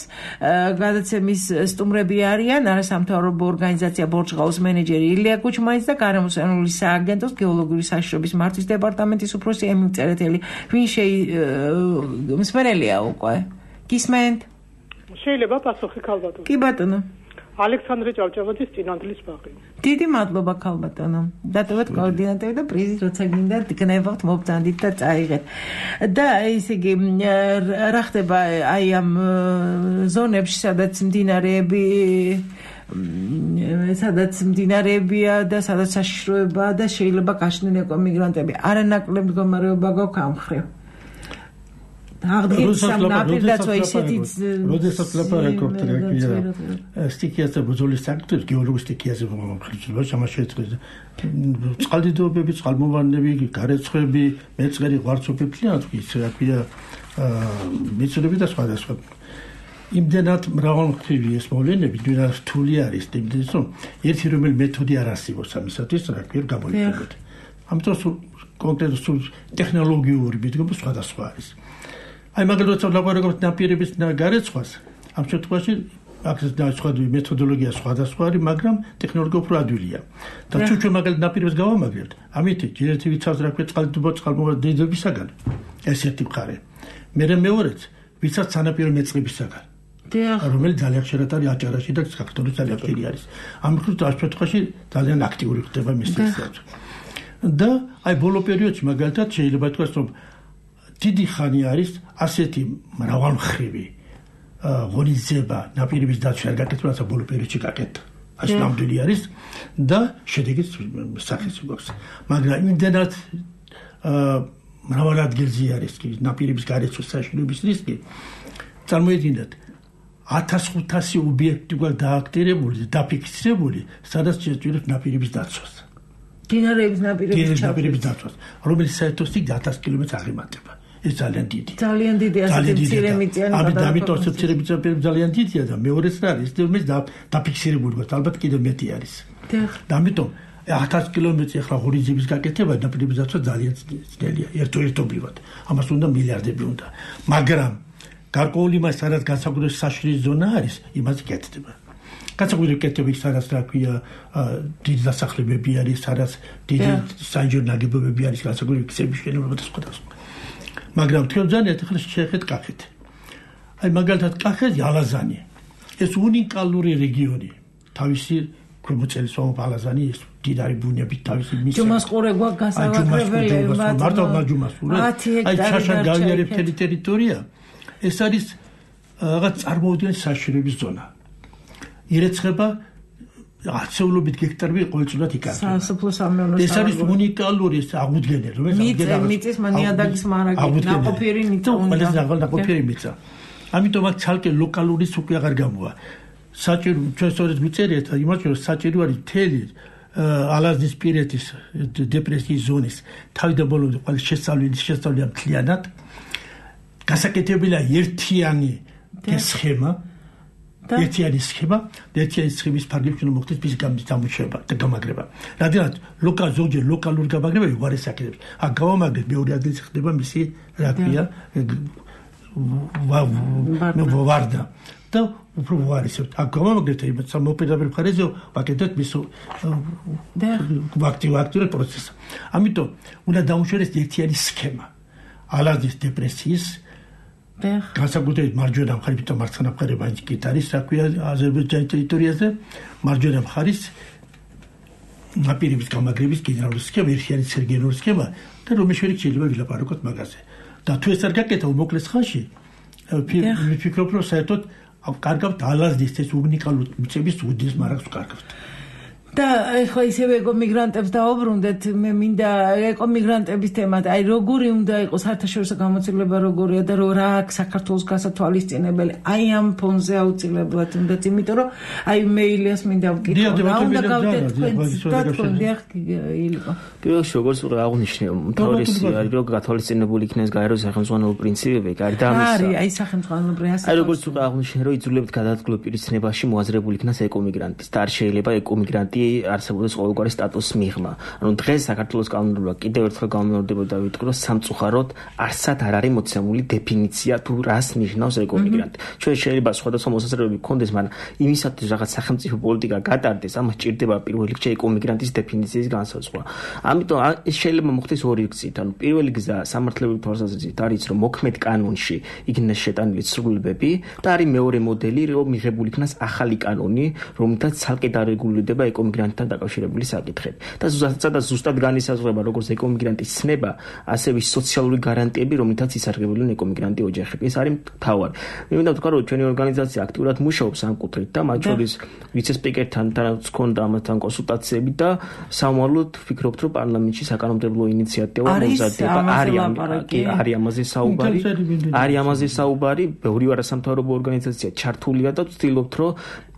გადაცემის სტუმრები არიან არასამთავრობო ორგანიზაცია ბორჯღაუს მენეჯერი ილია კუჩმანის და გარემოსანული სააგენტოს გეოლოგიური საშიშრობის მართვის დეპარტამენტის უფროსი ემილ წერეთელი ვინ შეიმსმენელია უკვე გისმენთ შეიძლება პასუხი ქალბატონო. კი ბატონო. ალექსანდრე ჭავჭავაძის წინანდლის ბაღი. დიდი მადლობა ქალბატონო. დატოვეთ კოორდინატები და პრიზი როცა გინდა გნებავთ მობრძანდით და წაიღეთ. და ესე იგი რა ხდება აი ამ ზონებში სადაც მდინარეები სადაც მდინარეებია და სადაც საშიშროებაა და შეიძლება გაშლენ ეკომიგრანტები. არანაკლებ მდგომარეობა გვაქვს ამ მხრივ. როდესაც ლაპარაკობთ სტიქიაზე ბრძოლის საქმეებს გეოლოგიის სტიქიაზე მომხდარება შემაშეწყვეტ წყალდიდობები წყალმოვარდნები გარეცხები მეწყერი ღვარცობები ის რა ქვია მიწურები და სხვადასხვა იმდენად მრავალმხრივი ეს მოვლენები და რთული არის იმდენად რომ ერთი რომელი მეთოდი არ არსებობს ამისათვის რა ქვია გამოიყენოთ ამიტომ კონკრეტულ ტექნოლოგიური მიდგომა სხვადასხვა არის აი მაგალითად ლაპარაკობთ ნაპირების გარეცხვას ამ შემთხვევაში აქ სხვადასხვა მეთოდოლოგია სხვადასხვა არის მაგრამ ტექნოლოგია უფრო ადვილია და თუ ჩვენ მაგალითად ნაპირებს გავამაგრებთ ამით ერთი ვიცავს რა ქვია წყალდიდობა წყალმოვარდნებისაგან ეს ერთი მხარე მე მეორეც ვიცავთ სანაპირო მეწყებისაგან რომელიც ძალიან ხშირად არის აჭარაში და საქართველოს ძალიან ხშირი არის. ამ შემთხვევაში ძალიან აქტიური ხდება მის სივრცეში. და აი ბოლო პერიოდში მაგალითად შეიძლება თქვას რომ დიდი ხანი არის ასეთი მრავალმხრივი ღონისძიება ნაპირების დაცვა არ გაკეთება, რასაც ბოლო პერიოდში გაკეთდა. ეს ნამდვილი არის და შედეგიც სახეს გვაქვს. მაგრამ იმდენად მრავალ ადგილზე არის ნაპირების გარეთ საშინების რისკი. წარმოიდგინეთ ათას ხუთასი ობიექტი გვაქვს დააქტირებული და დაფიქსირებული, სადაც შეჭირებს ნაპირების დაცვას. დინარეების ნაპირების დაცვას, რომელიც საერთოდ ათას კილომეტრს აღემატება. ეს ძალიან დიდი. ძალიან დიდი ასეთი მცირე მიწიანი გადაადგილება. ამიტომ მცირე მიწიანი ძალიან დიდია და მეორეც რა არის, ეს დაფიქსირებული გვაქვს, ალბათ კიდევ მეტი არის. და ამიტომ ათას კილომეტრი ახლა ღონისძიების გაკეთება ნაპირების დაცვა ძალიან ძნელია, ერთობლივად. ამას უნდა მილიარდები უნდა. მაგრამ გარკვეული მას სადაც განსაკუთრებული საშიში ზონა არის, იმას გეკეთდება. განსაკუთრებული კეთები სადაც რა ქვია, დიდი დასახლებები არის, სადაც დიდი საინჟინრო ნაგებობები არის, განსაკუთრებული ქსების შენობები და სხვა და სხვა. მაგრამ თქვენ ძალიან ახლა შეეხეთ კახეთ. აი მაგალითად კახეთი ალაზანი. ეს უნიკალური რეგიონი. თავისი ქვემოწელი სვამობ ალაზანი ეს დიდარი ბუნებით თავისი მის. ჯუმასყურე გვაქვს გასავაკრებელი მარტო ჯუმასყურე. აი შაშან გავიარებთელი ტერიტორია. ეს არის რაღაც წარმოუდგენელი საშიშროების ზონა. ირეცხება ათეულობით გექტარები ყოველწლიურად იკარგება. სასოფლო სამეურნეო. ეს არის უნიკალური აღუდგენელი, რომელიც აღდგენილი. მიწის ნიადაგის მარაგი, ნაყოფიერი მიწა უნდა. ეს ნაყოფიერი მიწა. ამიტომ აქ ცალკე ლოკალური სუკი აღარ გამოვა. საჭირო ჩვენ სწორედ ვიწერიეთ, იმაჩვენე რომ საჭირო არის მთელი ალაზნის პირეთის დეპრესიის ზონის თავიდან ბოლომდე ყველა შესწავლილი შესწავლილია მთლიანად. გასაკეთებელია ერთიანი სქემა. ერთიანი სქემა, ერთიანი სქემის ფარგლებში უნდა მოხდეს მის გამოჩება და გამაგრება. რადგან ლოკალ ზოგჯერ ლოკალური გამაგრება უარეს აკეთებს. აქ გავამაგრეთ მეორე ადგილზე ხდება მისი რა ქვია ვარდა და უფრო უარესებთ. აქ გავამაგრეთ იმათ სამოპირდაპირ მხარეზე ვაკეთებთ მის აქტიურ პროცესს. ამიტომ უნდა დაუშვერეს ერთიანი სქემა. ალაზნის დეპრესიის განსაკუთრებით მარჯვენა მხარეს და მარცხენა მხარე ბანკით არის, რა ქვია, აზერბაიჯანის ტერიტორიაზე, მარჯვენა მხარის ნაპირების გამაგრების გენერალური სქემა, ერთიანი სერგენული სქემა და რომელიც შეიძლება ვილაპარაკოთ მაგაზე. და თუ ეს არ გაკეთა უმოკლეს ხანში, ვფიქრობ, რომ საერთოდ კარგავთ ალაზნის ეს უნიკალური მიწების უდიდეს მარაგს ვკარგავთ. და ეხლა ისევ ეკომიგრანტებს დაუბრუნდეთ, მე მინდა ეკომიგრანტების თემად, აი როგორი უნდა იყოს საერთაშორისო გამოცდილება როგორია და რა აქვს საქართველოს გასათვალისწინებელი, აი ამ ფონზე აუცილებლად უნდათ, იმიტომ რომ აი მე ილიას მინდა ვკითხო, რა უნდა გავდეთ თქვენ დიახ ილიკო. პირველში როგორც უკვე აღნიშნე, მთავრესი არის რომ გათვალისწინებული იქნეს გაეროს სახელმწიფო პრინციპები, გარდა ამისა. არის, აი სახელმწიფო პრინციპები. აი როგორც უკვე აღნიშნე, რომ იძულებთ გადაადგილო პირისნებაში მოაზრებული იქნას ეკომიგრანტის და არ შეიძლება ეკომიგრანტი არსებობს ყოველგვარი სტატუსის მიღმა. ანუ დღეს საქართველოს კანონმდებლობა კიდევ ერთხელ გამეორდება და ვიტყვი რომ სამწუხაროდ არსად არ არის მოცემული დეფინიცია თუ რას ნიშნავს ეკომიგრანტი. ჩვენ შეიძლება სხვადასხვა მოსაზრებები გქონდეს, მაგრამ იმისათვის რაღაც სახელმწიფო პოლიტიკა გატარდეს, ამას ჭირდება პირველ რიგში ეკომიგრანტის დეფინიციის განსაზღვრა. ამიტომ ეს შეიძლება მოხდეს ორი გზით. ანუ პირველი გზა სამართლებრივი თვალსაზრისით არის რომ მოქმედ კანონში იქნეს შეტანილი ცვლილებები და არის მეორე მოდელი რომ მიღებული იქნას ახალი კანონი, რომელთაც ცალკე დარეგულირდება ეკომიგრანტთან დაკავშირებული საკითხები. და ზუსტად ზუსტად განისაზღვრება როგორც ეკომიგრანტის ცნება, ასევე სოციალური გარანტიები, რომლითაც ისარგებლენ ეკომიგრანტი ოჯახები. ეს არის მთავარი. მე მინდა ვთქვა, რომ ჩვენი ორგანიზაცია აქტიურად მუშაობს ამ კუთხით და მათ შორის ვიცე-სპიკერთან თანაც ქონდა ამასთან კონსულტაციები და სამომავლოდ ვფიქრობთ, რომ პარლამენტში საკანონმდებლო ინიციატივა მომზადდება. არის არის ამაზე საუბარი. არის ამაზე საუბარი. ბევრი არასამთავრობო ორგანიზაცია ჩართულია და ვცდილობთ, რომ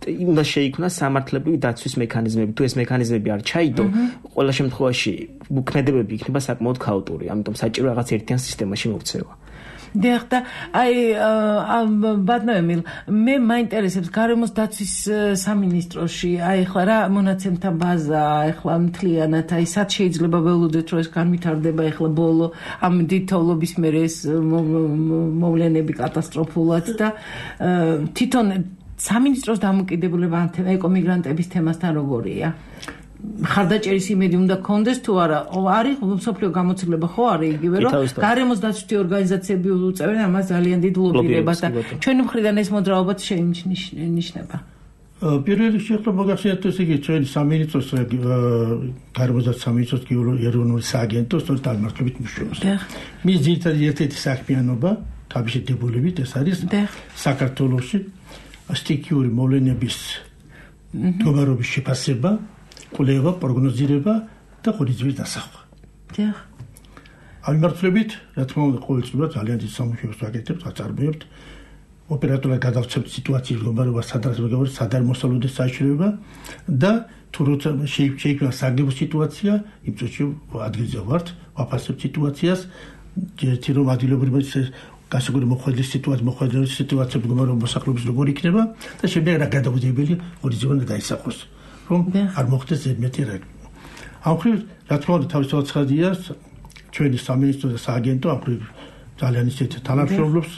უნდა შეიქმნას სამართლებრივი დაცვის მექანიზმები. თუ ეს მექანიზმები არ ჩაიდო, ყველა შემთხვევაში მოქმედებები იქნება საკმაოდ ქაოტური. ამიტომ საჭირო რაღაც ერთიან სისტემაში მოქცევა. დიახ და აი ბატონო ემილ, მე მაინტერესებს გარემოს დაცვის სამინისტროში, აი ხლა რა მონაცემთა ბაზა, ახლა მთლიანად, აი სად შეიძლება ველოდეთ, რომ ეს განვითარდება ახლა ბოლო ამ დიდთოვლობის მერე ეს მოვლენები კატასტროფულად და თვითონ სამინისტროს დამოკიდებულება ეკომიგრანტების თემასთან როგორია? ხარდაჭერის იმედი უნდა გქონდეს თუ არა არის სოფლიო გამოცდილება ხო არის იგივე რომ გარემოს დაცვითი ორგანიზაციები უწევენ ამას ძალიან დიდ ლობირებას და ჩვენი მხრიდან ეს მოძრაობაც შეინიშნება პირველ რიგში ახლა მოგახსენებთ ეს იგი ჩვენი სამინისტროს გარემოს და სამინისტროს ეროვნული სააგენტოს წარმართებით მუშაობს მის ძირითადი ერთ-ერთი საქმიანობა თავისი დებულებით ეს არის საქართველოში სტიქიური მოვლენების მდგომარეობის შეფასება კვლევა, პროგნოზირება და ხორცილის დასახვა. დიახ. ამ მიმართულებით, რა თქმა უნდა, ყოველწლიურად ძალიან დიდ სამუშაოს ვაკეთებთ, ვაწარმოებთ. ოპერატორად გადავცემთ სიტუაციის მდგომარეობას, სადაც მეგობრებო, სადარ მოსალოდეს საშუალება და თუ როცა შეიქმნა საგებო სიტუაცია, იმ წუთში ადგილზე ვართ, ვაფასებთ სიტუაციას, ერთი რომ ადგილობრივი გასაგები მოხდების სიტუაცია, მოხდების სიტუაცია მდგომარეობა მოსახლეობის როგორ იქნება და შემდეგ რა გადაგვიდებელი ხორციელი უნდა დაისახოს. რომ არ მოხდეს ზედმეტი რა. ამ ხრივ რა თქმა უნდა თავისთავად ცხადია ჩვენი სამინისტრო და სააგენტო ამ ხრივ ძალიან ისეთ თანამშრომლობს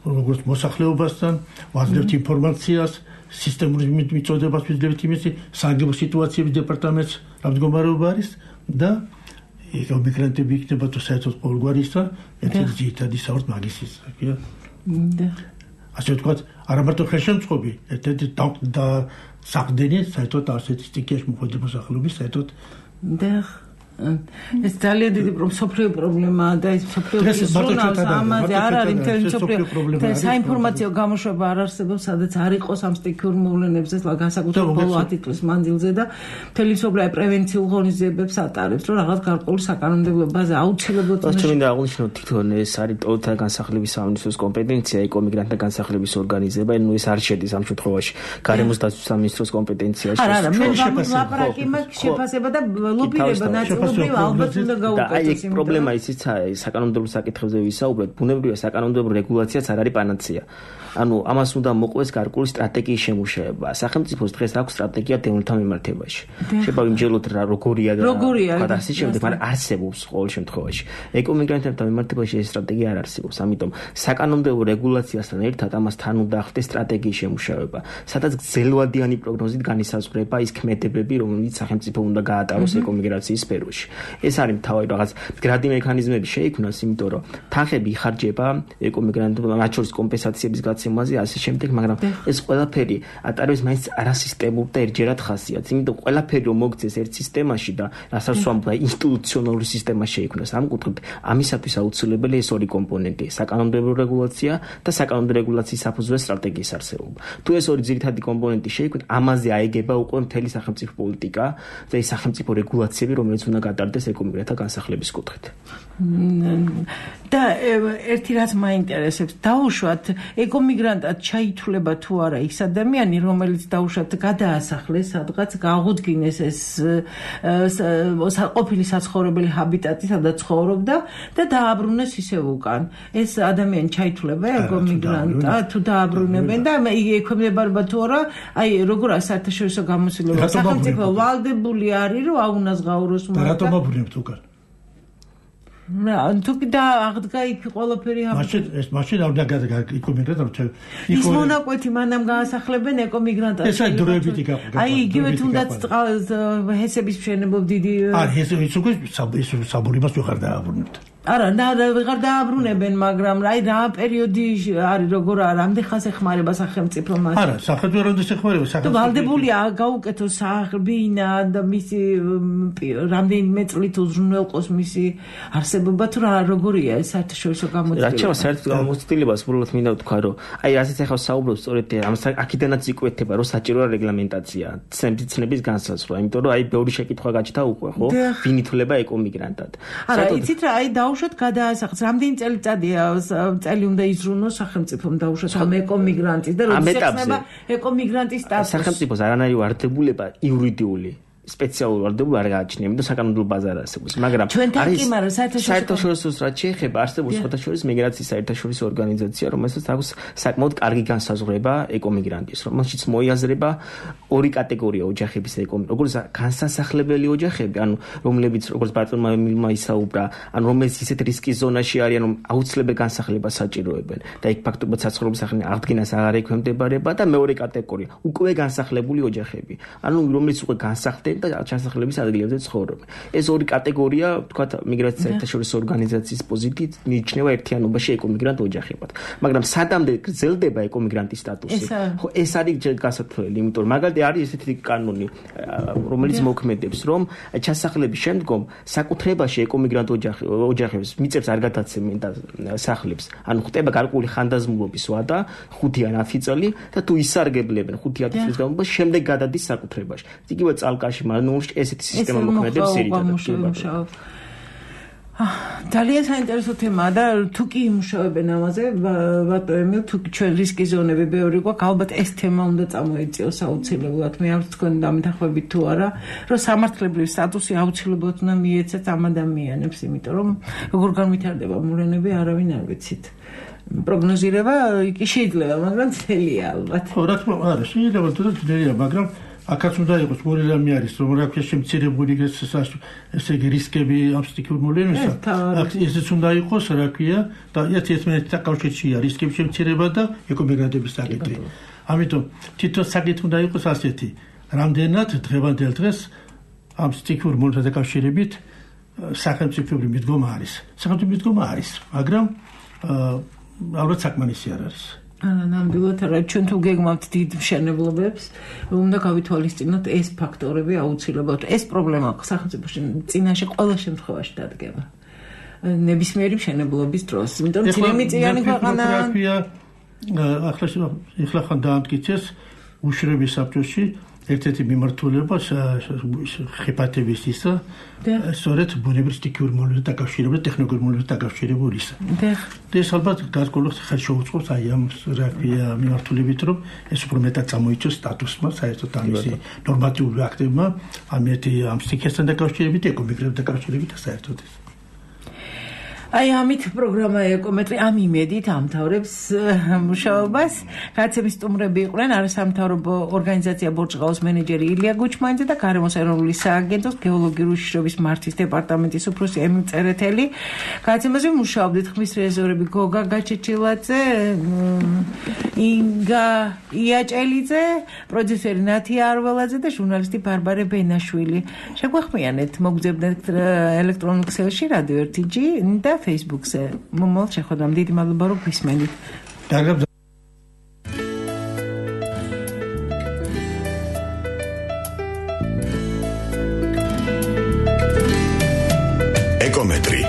როგორც მოსახლეობასთან, ვაძლევთ ინფორმაციას, სისტემური მიწოდებას ვიძლევთ იმის საგებო სიტუაციების დეპარტამენტს რა მდგომარეობა არის და ეს მიგრანტები იქნება თუ საერთოდ ყოველგვარისა, ერთ-ერთი ძირითადი საერთოდ მაგის ისაა. და ასე ვთქვათ, არა მარტო ხელშემწყობი, ერთ-ერთი და საყდენი საერთოდ ასეთი სტიქიაში მოხდა მოსახლეობის საერთოდ და ეს ძალიან დიდი სოფლიო პრობლემაა და ეს სოფლიო ზონას ამაზე არ არის მთელი სოფლიო და საინფორმაციო გამოშვება არ არსებობს სადაც არ იყოს ამ სტიქიურ მოვლენებზე განსაკუთრებით ბოლო ათი წლის მანძილზე და მთელი სოფლიო პრევენციულ ღონისძიებებს ატარებს რომ რაღაც გარკვეული საკანონმდებლო ბაზა აუცილებლად უნდა ჩვენ და აღნიშნოთ თვითონ ეს არის ტოლთა განსახლების სამინისტროს კომპეტენცია ეკომიგრანტთა განსახლების ორგანიზება ნუ ეს არ შედის ამ შემთხვევაში გარემოს დაცვის სამინისტროს კომპეტენციაში არა არა მე ლაპარაკი მაქვს შეფასება და ლობირება ნაწილობრივ ალბათ უნდა გაუკეთოს იმ პრობლემა ისიც არის საკანონმდებლო საკითხებზე ვისაუბრეთ ბუნებრივია საკანონმდებლო რეგულაციაც არ არის პანაცეა ანუ ამას უნდა მოყვეს გარკვეული სტრატეგიის შემუშავება სახელმწიფოს დღეს აქვს სტრატეგია დევნილთა მიმართებაში შეიძლება ვიმჯეროთ რა როგორია და რა ასე შემდეგ მაგრამ არსებობს ყოველ შემთხვევაში ეკომიგრანტთა მიმართებაში ეს სტრატეგია არ არსებობს ამიტომ საკანონმდებლო რეგულაციასთან ერთად ამას თან უნდა ახდეს სტრატეგიის შემუშავება სადაც გრძელვადიანი პროგნოზით განისაზღვრება ის ქმედებები რომელიც სახელმწიფო უნდა გაატაროს ეკომიგრაციის სფეროში ეს არის თავი რაღაც გრადი მექანიზმები შეიქმნას იმიტომ რომ თანხები იხარჯება ეკომიგრანტებმა მათ შორის კომპენსაციების გაცემაზე ასე შემდეგ მაგრამ ეს ყველაფერი ატარებს მაინც არასისტემურ და ერთჯერად ხასიათს იმიტომ ყველაფერი რომ მოგცეს ერთ სისტემაში და რასაც ვამბობ ინსტიტუციონალური სისტემა შეიქმნას ამ კუთხით ამისათვის აუცილებელია ეს ორი კომპონენტი საკანონმდებლო რეგულაცია და საკანონმდებლო რეგულაციის საფუძვლზე სტრატეგიის არსებობა თუ ეს ორი ძირითადი კომპონენტი შეიქმნა ამაზე აიგება უკვე მთელი სახელმწიფო პოლიტიკა და ეს სახელმწიფო რეგულაციები რომელიც უნდა გატარდეს ეკომიგრანტთა განსახლების კუთხით და ერთი რაც მაინტერესებს დაუშვათ ეკომიგრანტად ჩაითვლება თუ არა ის ადამიანი რომელიც დაუშვათ გადაასახლეს სადღაც გააღუდგინეს ეს ყოფილი საცხოვრებელი ჰაბიტატი სადაც ცხოვრობდა და დააბრუნეს ისევ უკან ეს ადამიანი ჩაითვლება ეკომიგრანტად თუ დააბრუნებენ და ექვემდებარება თუ არა აი როგორ საერთაშორისო გამოცდილება სახელმწიფო ვალდებული არის რომ აუნაზღაუროს რატომ აბრუნებთ უკან თუ და აღდგა იქ ყველაფერი მაშინ ეს მაშინ არ უნდა ეკომიგრანტად ის მონაკვეთი მანამ გაასახლებენ ეკომიგრანტად ეს აი დროებითი გაყვა აი იგივე თუნდაც ჰესების მშენებლობ დიდი არ ეს ის უკვე საბურებას ვეღარ დააბრუნებთ არა ვეღარ დააბრუნებენ მაგრამ აი რა პერიოდი არის როგორ რამდენ ხანს ეხმარება სახელმწიფო მას არა სახელმწიფო რამდენ ეხმარება სახელმწიფო ვალდებულია გაუკეთოს სახლბინა და მისი რამდენიმე წლით უზრუნველყოს მისი არსებობა თუ რა როგორია ეს საერთაშორისო გამოცდილება რა ჩემს საერთო გამოცდილებას უბრალოდ მინდა ვთქვა რომ აი რასაც ახლა საუბრობ სწორედ ამ აქედანაც იკვეთება რომ საჭიროა რეგლამენტაცია ცნების განსაზღვრა იმიტომ რომ აი ბევრი შეკითხვა გაჩნდა უკვე ხო ვინ ითვლება ეკომიგრანტად არა იცით რა აი დაუშვათ გადაასახს რამდენი წელიწადია წელი უნდა იზრუნოს სახელმწიფომ დაუშვათ ამ ეკომიგრანტის და როდის ეხება ეკომიგრანტის სტატუსი სახელმწიფოს არანაირი ვარდებულება იურიდიული სპეციალური ვარდებულება არ გააჩნია, იმიტომ საკანონმდებლო ბაზა არ არსებობს. მაგრამ არის საერთაშორისო რაც შეეხება, არსებობს საერთაშორისო მიგრაციის საერთაშორისო ორგანიზაცია, რომელსაც აქვს საკმაოდ კარგი განსაზღვრება ეკომიგრანტის, რომელშიც მოიაზრება ორი კატეგორია ოჯახების ეკომიგრანტ, როგორც განსასახლებელი ოჯახები, ანუ რომლებიც როგორც ბატონმა მილმა ისაუბრა, ანუ რომელიც ისეთ რისკის ზონაში არიან, რომ აუცილებელი განსახლებას საჭიროებენ და იქ ფაქტობრივად საცხოვრებლის სახელი აღდგენას აღარ ექვემდებარება და მეორე კატეგორია უკვე განსახლებული ოჯახები, ანუ რომლებიც უკვე განსახლდნენ და ჩასახლების ადგილებზე ცხოვრობენ. ეს ორი კატეგორია, ვთქვათ, მიგრაციის საერთაშორისო ორგანიზაციის პოზიტივით მიიჩნევა ერთიანობაში ეკომიგრანტ ოჯახებად. მაგრამ სადამდე გრძელდება ეკომიგრანტის სტატუსი, ხო, ეს არის გასათვლელი, იმიტომ რომ მაგალითად არის ესეთი კანონი, რომელიც მოქმედებს, რომ ჩასახლების შემდგომ საკუთრებაში ეკომიგრანტ ოჯახებს მიწებს არ გადაცემენ და სახლებს. ანუ ხდება გარკვეული ხანდაზმულობის ვადა, ხუთი ან ათი წელი და თუ ისარგებლებენ ხუთი ათი წლის განმავლობაში, შემდეგ გადადის საკუთრებაში. იგივე წალკაში მანუში ესეთი სისტემა მოქმედებს ერთად. ძალიან საინტერესო თემაა და თუ კი იმუშავებენ ამაზე, ბატონო ემილ, თუ ჩვენ რისკი ზონები ბევრი გვაქვს, ალბათ ეს თემა უნდა წამოეწიოს აუცილებლად. მე არ თქვენ დამეთანხმებით თუ არა, რომ სამართლებრივი სტატუსი აუცილებლად უნდა მიეცათ ამ ადამიანებს, იმიტომ რომ როგორ განვითარდება მოვლენები, არავინ არ ვიცით. პროგნოზირება კი შეიძლება, მაგრამ ძნელია ალბათ. ხო, რა თქმა უნდა, შეიძლება თუ ძნელია, მაგრამ აქაც უნდა იყოს ორი რამე არის, რომ რა ქვია შემცირებული ესე იგი რისკები ამ სტიქიურ მოვლენებისა. ესეც უნდა იყოს, რა ქვია, და ერთმანეთთან დაკავშირებულია რისკების შემცირება და ეკომიგრანტების საკითხი. ამიტომ თვითონ საკითხი უნდა იყოს ასეთი, რამდენად დღევანდელ დღეს ამ სტიქიურ მოვლენებთან დაკავშირებით სახელმწიფოებრივი მიდგომა არის. სახელმწიფო მიდგომა არის, მაგრამ ალბათ საკმარისი არ არის. ნამდვილად არა, ჩვენ თუ გეგმავთ დიდ მშენებლობებს, უნდა გავითვალისწინოთ ეს ფაქტორები აუცილებლად. ეს პრობლემა სახელმწიფოში წინაშე ყველა შემთხვევაში დადგება. ნებისმიერი მშენებლობის დროს, იმიტომ რომ წინამიწიანი ქვეყანა ახლა ახლა ხან დაამტკიცეს უშრების საბჭოში ერთ-ერთი მიმართულება ხიფათების ისა, სწორედ ბუნებრივ სტიქიურ მოვლენებთან დაკავშირებული, ტექნოლოგიურ მოვლენებთან დაკავშირებული ისა. და ეს ალბათ გარკვეულად ხელშეუწყობს აი ამ რა ქვია მიმართულებით, რომ ეს უფრო მეტად წამოიწოს სტატუსმა, საერთოდ ამისი ნორმატიული აქტებმა, ამ ერთი ამ სტიქიასთან დაკავშირებით, ეკომიგრანტთან დაკავშირებით და საერთოდ ეს. აი ამით პროგრამა ეკომეტრი ამ იმედით ამთავრებს მუშაობას. გაცემის სტუმრები იყვნენ არასამთავრობო ორგანიზაცია ბორჭყაოს მენეჯერი ილია გუჩმანიძე და გარემოს ეროვნული სააგენტოს გეოლოგიური უშიშრობის მართვის დეპარტამენტის უფროსი ემილ წერეთელი. გაცემაზე მუშაობდით ხმის რეზერვები გოგა გაჩეჩილაძე, ინგა იაჭელიძე, პროდიუსერი ნათია არველაძე და ჟურნალისტი ბარბარე ბენაშვილი. შეგვახმიანეთ მოგძებნეთ ელექტრონულ ქსელში რადიო ერთი ჯი და Facebook-ზე. მომავალ შეხვედრამ დიდი მადლობა რომ გვისმენთ. ეკომეტრი